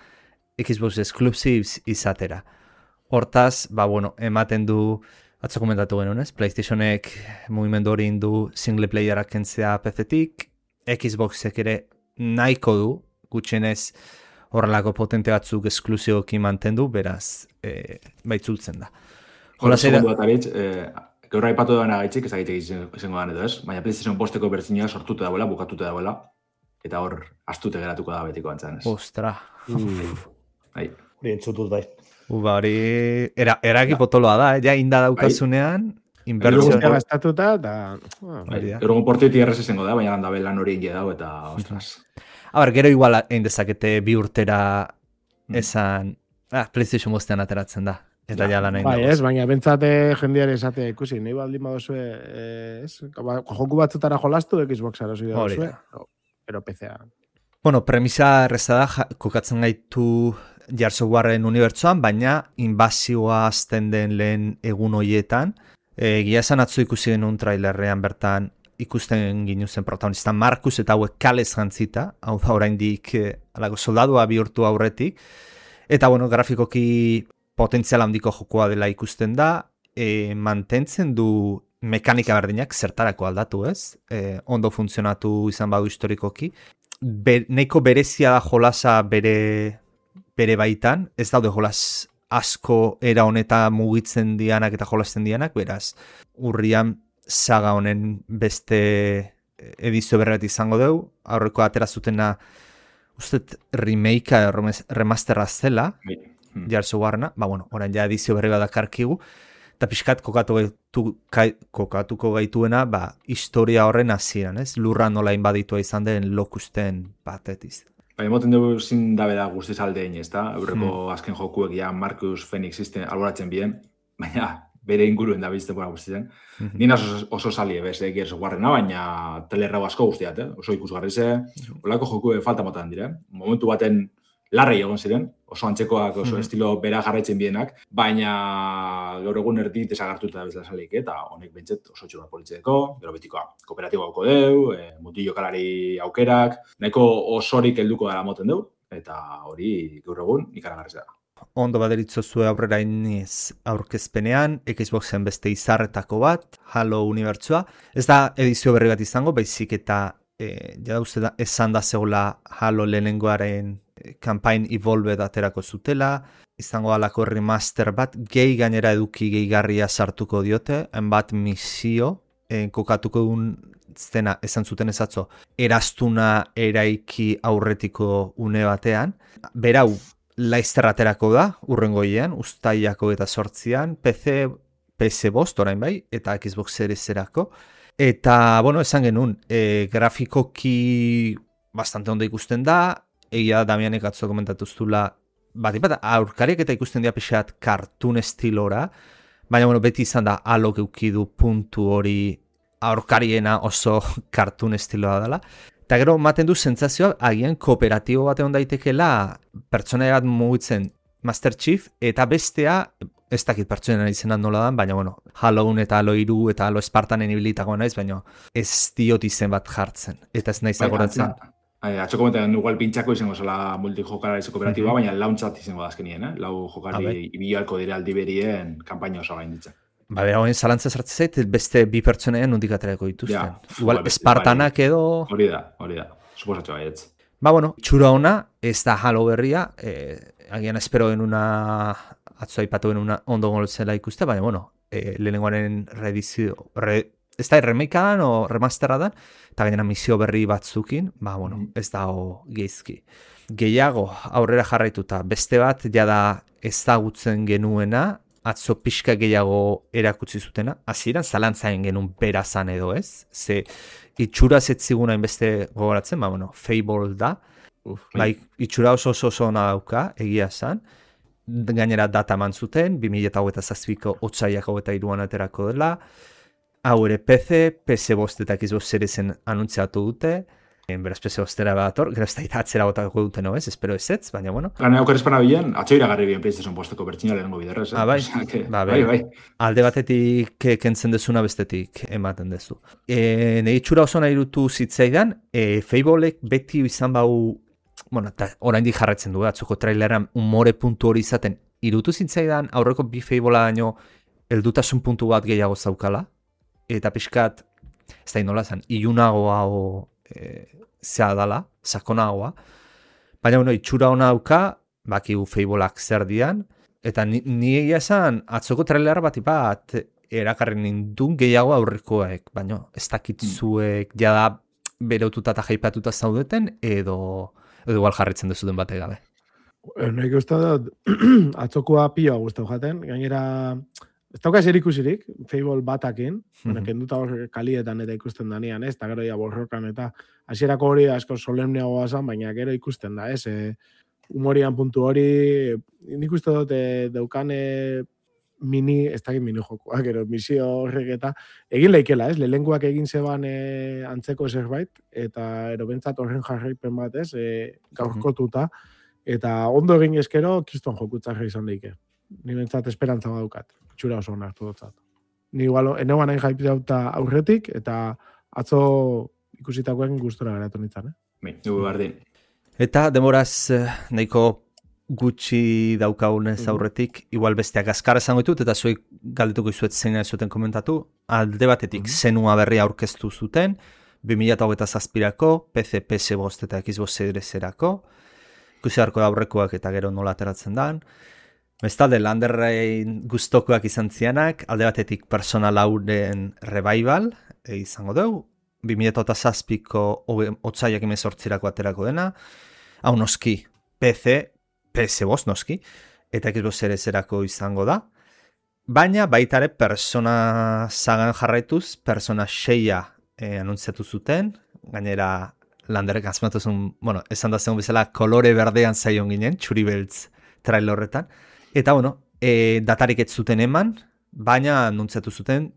Xbox Exclusives izatera. Hortaz, ematen du, atzo komentatu genuen, ez? PlayStationek mugimendu hori indu single playerak kentzea PC-tik, Xboxek ere nahiko du, gutxienez horrelako potente batzuk esklusiboki mantendu, beraz, baitzultzen da. Jola segundu bat aritz, gaur aipatu dagoena gaitzik, ez agitek izango da, ez? Baina PlayStation 5-eko bertzina sortuta dagoela, bukatuta dagoela, eta hor, astute geratuko da betiko antzan, ez? Ostra. Hori entzutut bai. Hori, eraki potoloa da, ja inda daukazunean, inbertsio. Gastatuta, eta... Gero portiti errez izango da, baina landa lan hori inge dago, eta ostras. Gero igual egin dezakete bi urtera esan, PlayStation 5-ean ateratzen da. Eta ja lan egin Bai, dagoz. ez, baina bentsate jendeare esatea ikusi, nahi baldin badozue, joku batzutara jolastu, Xbox erosi Hori dozue, da. pero PC-a. Bueno, premisa erreza da, kokatzen gaitu Softwareen unibertsoan, baina inbazioa azten den lehen egun hoietan, egia esan atzo ikusi genuen trailerrean bertan ikusten ginuzen protagonista Markus eta hauek kalez jantzita, hau da oraindik alako soldadua bihurtu aurretik, eta bueno, grafikoki potentzial handiko jokoa dela ikusten da, mantentzen du mekanika berdinak zertarako aldatu, ez? Ondo funtzionatu izan badu historikoki, neiko berezia da jolasa bere baitan, ez daude jolas asko era honetan mugitzen dianak eta jolasten dianak, beraz, urrian saga honen beste edizio berret izango dugu, aurreko atera zutena, ustet remakea remasterra zela, Softwarena, bueno, orain ja edizio berri bat dakarkigu, eta pixkat kokatuko gaituena, historia horren hasieran, ez? Lurra nola inbaditua izan den lokusten batetiz. Moten dugu zin dabe da guztiz aldein, ez da? Eurreko azken jokuek ja Marcus Phoenix alboratzen bien, baina bere inguruen da bizte bora guztien. Nina oso salie bez, Gears of Warrena, baina telerrau asko guztiat, oso ikusgarri ze, olako joku falta motan dire. Momentu baten larrei egon ziren, oso antzekoak, oso estilo bera jarraitzen bienak, baina gaur egun erdi desagartuta da bezala salik, eta honek bentzet oso txura politzeko, gero betikoa kooperatiboa hauko deu, mutillo kalari aukerak, nahiko osorik helduko dara moten deu, eta hori gaur egun ikaragarriz da. Ondo baderitzo zue aurrera iniz aurkezpenean, Xboxen beste izarretako bat, Halo unibertsua. Ez da edizio berri bat izango, baizik eta esan da zegoela Halo lehenengoaren campaign Evolved aterako zutela, izango alako remaster bat, gehi gainera eduki gehigarria sartuko diote, bat misio, kokatuko duen zena esan zuten ezatzo, eraztuna eraiki aurretiko une batean, berau, laizterraterako da, urrengoian, ustaiako eta sortzian, PS5 orain bai, eta Xbox Series-erako. Eta, bueno, esan genuen, grafikoki bastante ondo ikusten da, egia Damianek atzo komentatuztula, bat aurkariak eta ikusten dira pixat kartun estilora, baina, bueno, beti izan da Halok eukidu puntu hori aurkariena oso kartun estiloa dela. Eta gero, maten du sentsazioa, agian kooperatibo bat egon daitekela pertsonaia bat mugitzen Master Chief, eta bestea, ez dakit pertsonaia izena nola da, baina, bueno, Haloun eta Halo 3 eta Halo Spartanen ibilitako naiz, baina ez diot izen bat jartzen, eta ez naiz agoratzen. Atxo komentan, igual pintxako izango zela multijokalarize kooperatiboa, baina launtzat izango da azkenien, lau jokari ibialko dire aldi berien kampaina oso gain ditzen. Bera, honen zalantza sartzen zait, beste bi pertsonaien nondik aterako dituzten. Igual, Spartanak edo... Hori da, suposatxo baietz. Bueno, txura ona, ez da Halo berria, agian espero denuna, atzo aipatu denuna ondo golzela ikuste, baina, bueno, lehenengoaren reedizio, ez da remake dan o remasterra dan, eta gainera misio berri batzukin, bueno, ez da geizki. Gehiago, aurrera jarraituta, beste bat, jada ezagutzen genuena, atzo pixka gehiago erakutsi zutena, hasieran zalantzaen genuen berazan edo ez, ze itxura zetziguna inbeste gogoratzen, bueno, Fable da, itxura oso ona dauka, egia zan, gainera data eman zuten, 2008ko otsaiak 23an aterako dela, hau ere PC, PS5 eta Xbox Seriesen anuntziatu dute, beraz PS5 bat gero ez da atzera botako duten, ez? Espero ez, baina, bueno. Gane aukar espana bilen, atxo iragarri bien PlayStation posteko bertxina lehenengo biderrez, bai. Alde batetik kentzen dezuna bestetik ematen dezu. Negi txura oso nahi dutu zitzaidan, Fablek beti izan bau, bueno, eta oraindik jarraitzen du, atzoko traileran umore puntu hori izaten, irutu zitzaidan aurreko bi Fablea daño heldutasun puntu bat gehiago zaukala, eta pixkat, ez da inola zan, ilunagoa zea dala, sakonagoa, baina, bueno, itxura hona dauka, bakigu Fableak zer dian, eta ni egia esan, atzoko trailer bat erakarri nindun gehiago aurrekoek, baina ez dakitzuek jada bereututa eta jaipatuta zaudeten, edo igual jarritzen dezuten bate gabe. Nahi uste dut, atzokoa pioa guztau jaten, gainera, ez dauka zer ikusirik, Fable batakin, kenduta hor kalietan eta ikusten danean, ez, eta gero ya borrokan, eta hasierako hori asko solemneagoa zan, baina gero ikusten da, ez, humorian puntu hori, nik uste dut, daukane ez dakit mini jokoak, gero misio horrek eta egin leikela, ez? Lehenguak egin zeban antzeko zerbait, eta erobentzat horren jarraipen bat, ez? Gaurkotuta, eta ondo egin eskero, kiston jokutzarra izan daike. Ni bentzat esperantza badaukat, txura oso onartu dutzat. Ni igual, eneguan hain jaipitauta aurretik, eta atzo ikusitakoen gustora geratu nintzen, Dugu bardin. Eta demoraz nahiko gutxi daukagunez aurretik, igual besteak azkar esango ditut, eta zuek galdetuko izuet zein zuten komentatu, alde batetik zenua berria aurkeztu zuten, 2027ko, PC, PS5 eta Xbox Series-erako, ikusi harko aurrekoak eta gero nola ateratzen dan. Bestalde, landerrein gustokoak izan zianak, alde batetik Persona 4-en revival izango dugu, 2007ko otsaiak 18-rako aterako dena, hau noski PC, PS5 noski, eta Xbox Series-erako izango da, baina baitare Persona sagan jarraituz, Persona 6-a anuntziatu zuten, gainera landerrek azmatu zuen, esan da zegoen bezala kolore berdean zaion ginen, txuri beltz trailer horretan, eta datarik ez zuten eman, baina anuntziatu zuten,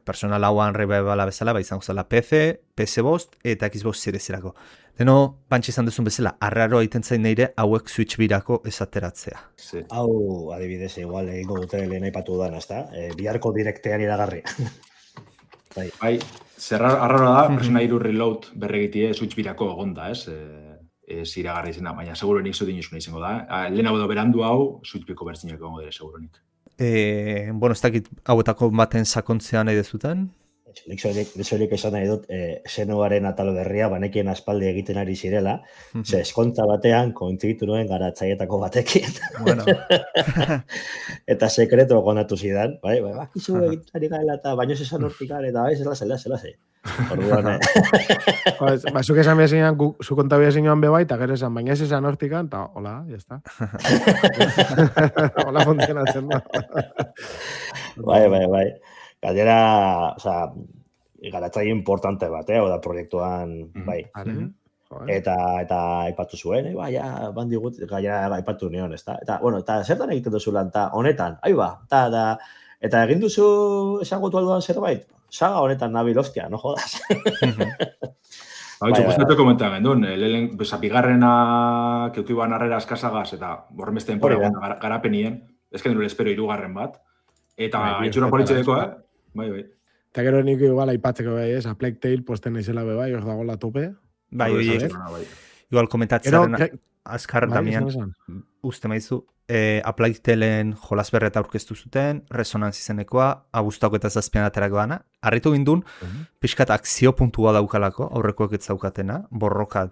Persona 4-an revivala bezala, izango zela PC, PS5 eta Xbox Series-erako. Deno, pantxe izan duzun bezala, arraro egiten zain neire hauek Switch birako esateratzea. Sí. Hau, adibidez, igual egingo dute lehen aipatu dan, ezta? Biharko direktean iragarri. Bai, arraro da, Persona 3 Reload berregitie Switch birako egonda, ez? Iragarri izena, baina seguronik zuten izuna izango da. Lehen hau berandu hau, Switch birako bertzinak egongo dira, seguronik. Ez dakit hauetako baten sakontzean nahi dezuten? Desorik esan nahi dut, Xenoaren atal berria, banekien aspaldi egiten ari zirela, ze eskontza batean, kontzigitu nuen garatzaietako batekin. Bueno. Eta sekreto konatu zidan, bakizu egiten ari gaela eta baino esan hortikan, eta zela. Orduan, zuk esan behar zinean, zu konta behar zinean bebai, eta gero esan, baina ez esan hortikan, eta hola, jazta. Hola funtzionatzen da. Bai. Gainera, garatzaile importante bat, oda proiektuan, bai. Eta aipatu zuen, bandigut, gaia aipatu nion, ezta? Eta zertan egiten duzu lan, eta honetan, eta egin duzu esangotu alduan zerbait, saga honetan nabil hostia, no jodas. Gustatu komentan gendun, bigarrena keukiban arrera eskasagaz, eta borren beste denpora garapenien, ezken dure espero 3 bat, eta itxura politxedeko, Bai. Eta gero nik igual aipatzeko bai, a Plague Tale posten naizela bai, hor dagoela tope. Bai, igual komentatzen azkar damian, uste maizu, a Plague Talen jolas berreta aurkeztu zuten, Resonance izenekoa, abustako eta zazpian aterako dana, harritu gindun, pixkat akzio puntua daukalako, aurrekoak ez daukatena, borroka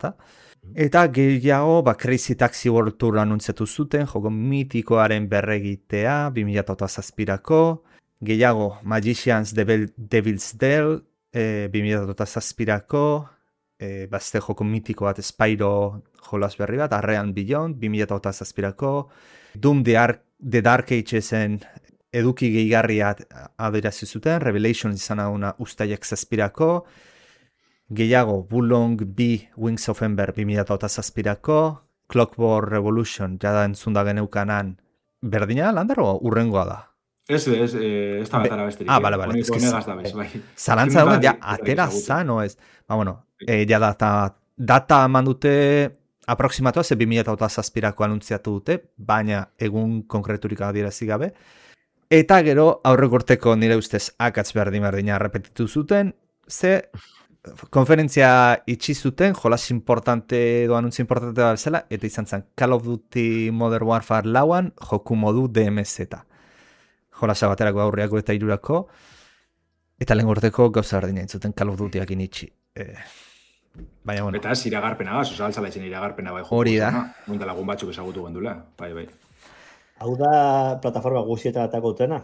eta gehiago, Crazy Taxi World Tour anuntziatu zuten, joko mitikoaren berregitea, 2007ko, gehiago, Magicians Devil's Dell, 2007ko, bazte joko mitiko bat Spyro jolas berri bat, Arrean Beyond, 2007ko, Doom The Dark Agesen eduki gehigarria adirazi zuten, Revelation izan aguna ustaiak 7ko, gehiago, Wulong B Wings of Ember 2007ko, Clockwork Revolution jada entzunda geneukanan, berdina landaro urrengoa da? Ez da batara besterik. Bale. Zalantza duen, atera zan, o ez? Ja data eman dute aproximatua, ze 2007ko anuntziatu dute, baina egun konkreturik adierazi gabe. Eta gero, aurrek urteko nire ustez akatz berdina repetitu zuten, ze konferentzia itxi zuten, jolas importante edo anuntzio importante da bezala, eta izan zen Call of Duty Modern Warfare 4-an joku modu DMZ. Jolasa baterako aurreako eta 3-ako, eta lehen urteko gauza berdina entzuten Call of Dutyak initxi. Baina, bueno. Eta ez iragarpena gaz, oza altzala izan iragarpena bai joku. Hori da. Munta lagun batzuk ezagutu gendula, bai. Hau da plataforma guztietan atako dutena?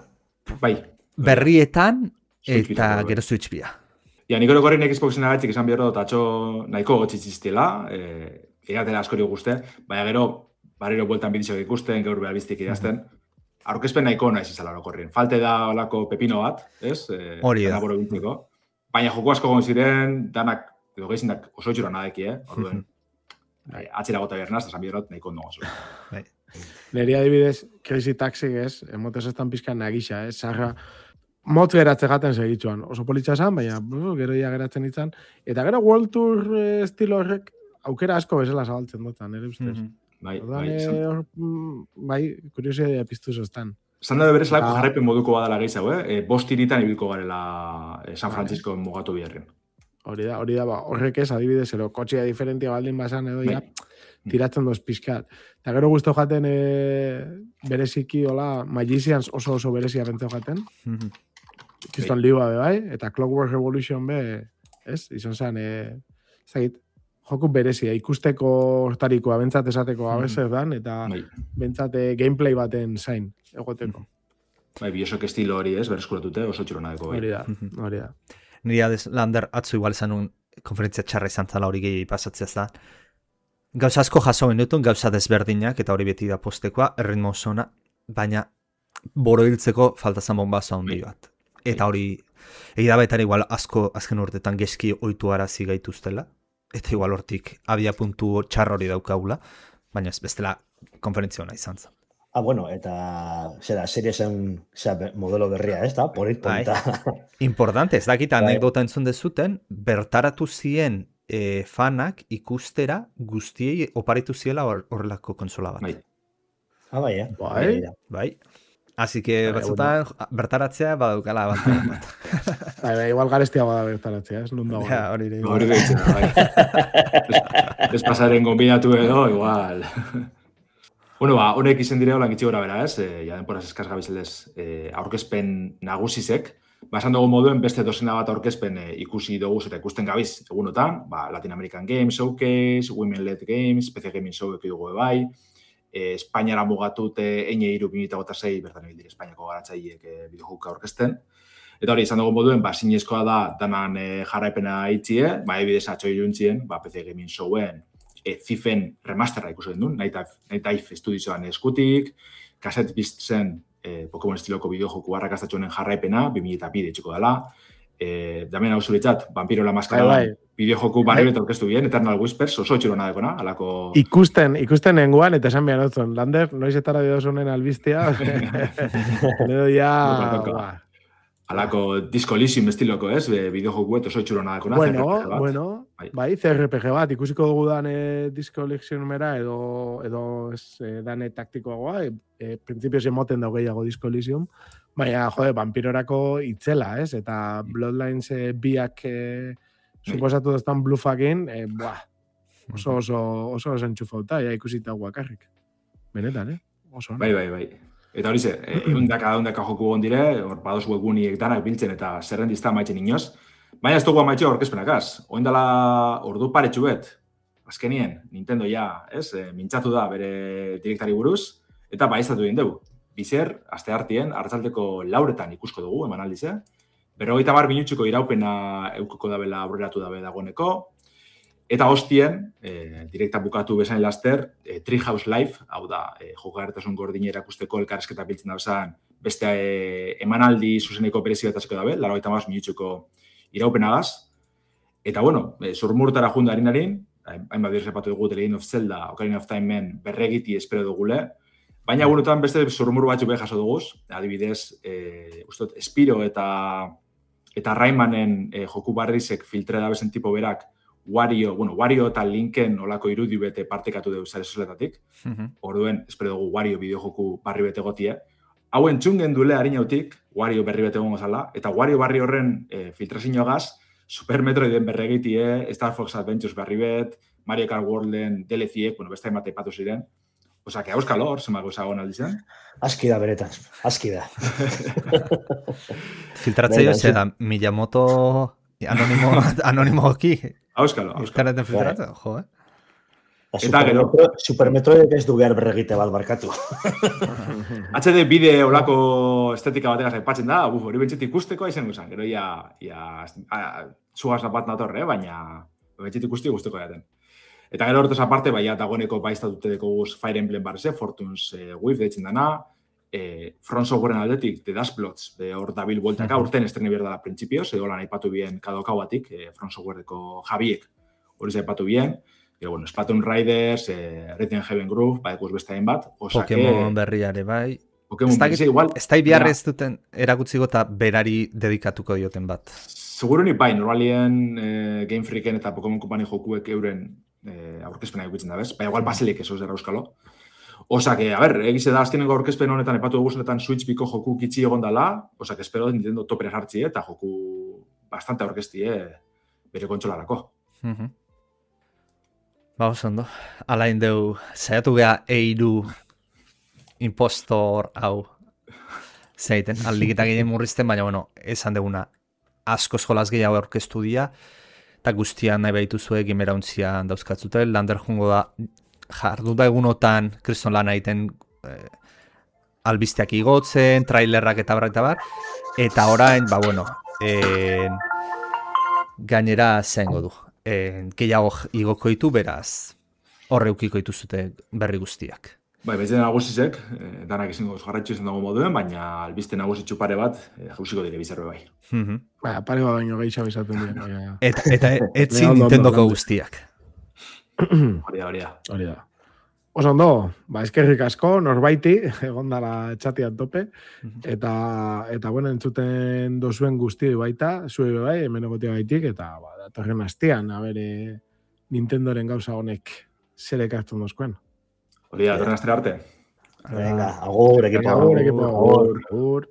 Bai. Berrietan eta gero Switch bia. Nik orokorren Xboxen agatzik esan behar dut, atxo nahiko gotxitziztela, egatela askori guzti, baina gero, barriro bueltan bidizok ikusten, gaur behar biztik idazten, aurkezpen nahiko nahiz izala orokorren. Falte da olako pepino bat, ez? Hori da. Baina joko asko gon ziren, danak, edo gehizindak oso itxura nadeki, orduen, atzera gota behar nazta, esan behar dut nahiko ondo gozu. Neri adibidez, Crazy Taxi ez, emotez estan pizkan nagisa, sarra, motz geratze gaten segitzuan. Oso politxa esan, baina gero ia geratzen itzan. Eta gero World Tour estilo horrek aukera asko bezala zabaltzen dutan, nire ustez. Bai, kuriosia piztu zoztan. Zan da berez lako jarraipen moduko badala gehiago, bost hiritan ibilko garela San Francisco mugatu biherren. Hori da, horrek ez, adibidez, ero, kotxea diferentia baldin basan edo ja, tiratzen doz pizkat. Eta gero guztu jaten bereziki, hola, Magicians oso berezia bentzau jaten. Kiston liua be bai, eta Clockwork Revolution be, ez? Izan zen, ezagit, joku berezia, ikusteko hortarikoa, bentsat esateko abezer dan, eta bentsat gameplay baten zain, egoteko. Bai, Bioshock estilo hori ez, berreskuratute, oso txironadeko bai. Hori da. Niri Lander atzu igual izan un konferentzia txarra izan zala hori gehi pasatzea da. Gauza asko jaso genutun, gauza desberdinak, eta hori beti da postekoa, erritmo zona, baina boroiltzeko faltazan bombazo handi bat. Eta hori, egia baita igual asko azken urtetan geski oitu arazi gaituztela, eta igual hortik abia puntu txarra hori daukagula, baina ez bestela konferentzia hona izan zen. Bueno, eta serie zen modelo berria, ez da? Polita. Importante, ez dakit anekdota entzun dezuten, bertaratu zien fanak ikustera guztiei oparitu ziela horrelako konsola bat. Bai. Así que batzutan bertaratzea badaukala abantaia bat. Igual garestia bada bertaratzea, ez nun dago. Hori deitzen, bai. Ez pasaren kombinatu edo, igual. Bueno, honek izen dire holan gitxi gora bera, ez? Ja denporaz eskaz gabizeldez aurkezpen nagusizek. Esan dugu moduen beste dozena bat aurkezpen ikusi dugu eta ikusten gabiz egunotan. Latin American Games Showcase, Women Led Games, PC Gaming Show dugu bai. Espainiara mugatut eine 2006 bertan egin dire Espainiako garatzaileek bideojuka aurkezten. Eta hori, izan dugu moduen, zinezkoa da danan jarraipena itxie, ebidez atxo iruntzien, PC Gaming Showen Thifen remasterra ikusten duen, Night Studioan eskutik, Cassette Beast zen Pokemon estiloko bideojoku arrakastatxonen jarraipena, 2002 etxeko dela, damen hau zuritzat, Vampiro la Maskara bideojoku barri eta orkestu bien, Eternal Whispers, oso txirona dekona, alako... Ikusten nenguan, eta esan behar otzon, Lander, noiz etara diozunen albiztia, edo ja... Alako Disco Elysium estiloko, ez? Bideojokuet oso txurona dakona. Bueno, bai, CRPG bat, ikusiko dugu dan Disco Elysiumera edo dane taktikoagoa, printzipioz emoten dago gehiago Disco Elysium, baina, vampirorako itzela, ez? Eta Bloodlines biak suposatu doztan bluffakin, oso enxufauta, ikusita guakarrik. Benetan, oso. Bai. Eta hori ze, eundaka joku gondire, hor badoz webgunik danak biltzen eta zerrendizta maitzen inoz. Baina ez dugu amaitxo aurkezpenakaz. Oindala ordu paretxu bet, azkenien, Nintendo ja, ez, mintzatu da bere direktari buruz, eta baiztatu egin dugu. Bizer, aste hartien, hartzaldeko 4 ikusko dugu, eman aldize. 50 minutxuko iraupena eukoko dabela aurreratu dabe dagoeneko. Eta hostien, direkta bukatu bezain laster, Treehouse Live, hau da, jokagarritasun gordine erakusteko elkarrezketa biltzen dauzan, beste emanaldi zuzeneko berezi bat asko dabe, 50 minutxuko iraupenagaz. Eta, bueno, zurmurtara junda harin, hainbat biruz epatu dugu The Legend of Zelda, Ocarina of Time-en berregiti espero dugule, baina egunotan beste zurmur batzu beha jaso duguz, adibidez, Spiro eta Raymanen joku barrizek filtre dabezen tipo berak, Wario eta Linken olako irudi bete partekatu dugu zare sosletatik. Orduen, espero dugu Wario bideojoku barri bete gotie. Hau entzungen dule harinautik, Wario berri bete gongo zala, eta Wario barri horren filtrazioagaz, Super Metroiden berregitie, Star Fox Adventures berri bet, Mario Kart Worlden DLC-ek, beste hainbat aipatu ziren. Osa, que auskalo hor, zenbako zagoen aldizen. Aski da beretan, aski da. Filtratzeio ze da, Miyamoto anonimoki. Auskalo. Internetan filtratzen, jo, Eta gero... Super Metroid ez du behar berregite bat barkatu. HD bide olako estetika bategaz aipatzen da, hori bentsetik ikusteko aizen guzan. Gero zugaz bat natorre, baina bentsetik ikusti guzteko jaten. Eta gero hortez aparte, dagoeneko baiztatute dekoguz Fire Emblem barreze, Fortune's Wave deitzen dana, Front Softwaren aldetik, The Dustplots, hor dabil bueltaka, urten estrene behar da printzipioz, edo lan aipatu bien kadokau batik, Front Softwareko Javiek hori zaipatu bien, bueno, Splatoon Riders, Rhythm Heaven Groove, badekuz beste bat. Pokemon berriare bai. Pokemon berri, igual. Ez da biharre ez duten erakutziko eta berari dedikatuko dioten bat. Seguro ni bai, normalien Game Freaken eta Pokemon Company jokuek euren aurkezpena eguitzen da, bez? Baina igual baselik eso zera euskalo. Osa que, a ver, egize da azkenengo aurkezpen honetan epatu eguzunetan Switch biko joku kitxi egon dala, osa que espero Nintendo topera jartzi eta joku bastante aurkezti, bere kontsolarako. Ba, oso ondo. Alain deu, saiatu geha eiru impostor hau zeiten, aldikitak egin murrizten, baina, bueno, esan deguna asko eskolaz gehiago aurkeztu dira, eta guztian nahi behitu zuek imerauntzia dauzkatzute, lander jungo da, jarduta egunotan kriston lan egiten albisteak igotzen, trailerrak eta bar, eta orain, ba, bueno, gainera zengo du. Gehiago igoko ditu, beraz, horre ukiko dituzute berri guztiak. Bai, betzen nagusizek, danak izango jarraitzu izan dago moduen, baina albiste nagusitzu pare bat, jausiko dire bizarbe bai. Ba, pare bat baino gehiago izaten dira. Eta etzi Nintendoko guztiak. Hori da. Oso ondo, ba, eskerrik asko, norbaiti, egon dala txatian tope, eta bueno, entzuten dozuen guzti baita, zue bai, hemen egotea baitik, eta ba, datorren astean, abere Nintendoren gauza honek zer ekartzen dozkoen. Hori da, datorren astera arte. Venga, agur, equipo. Agur.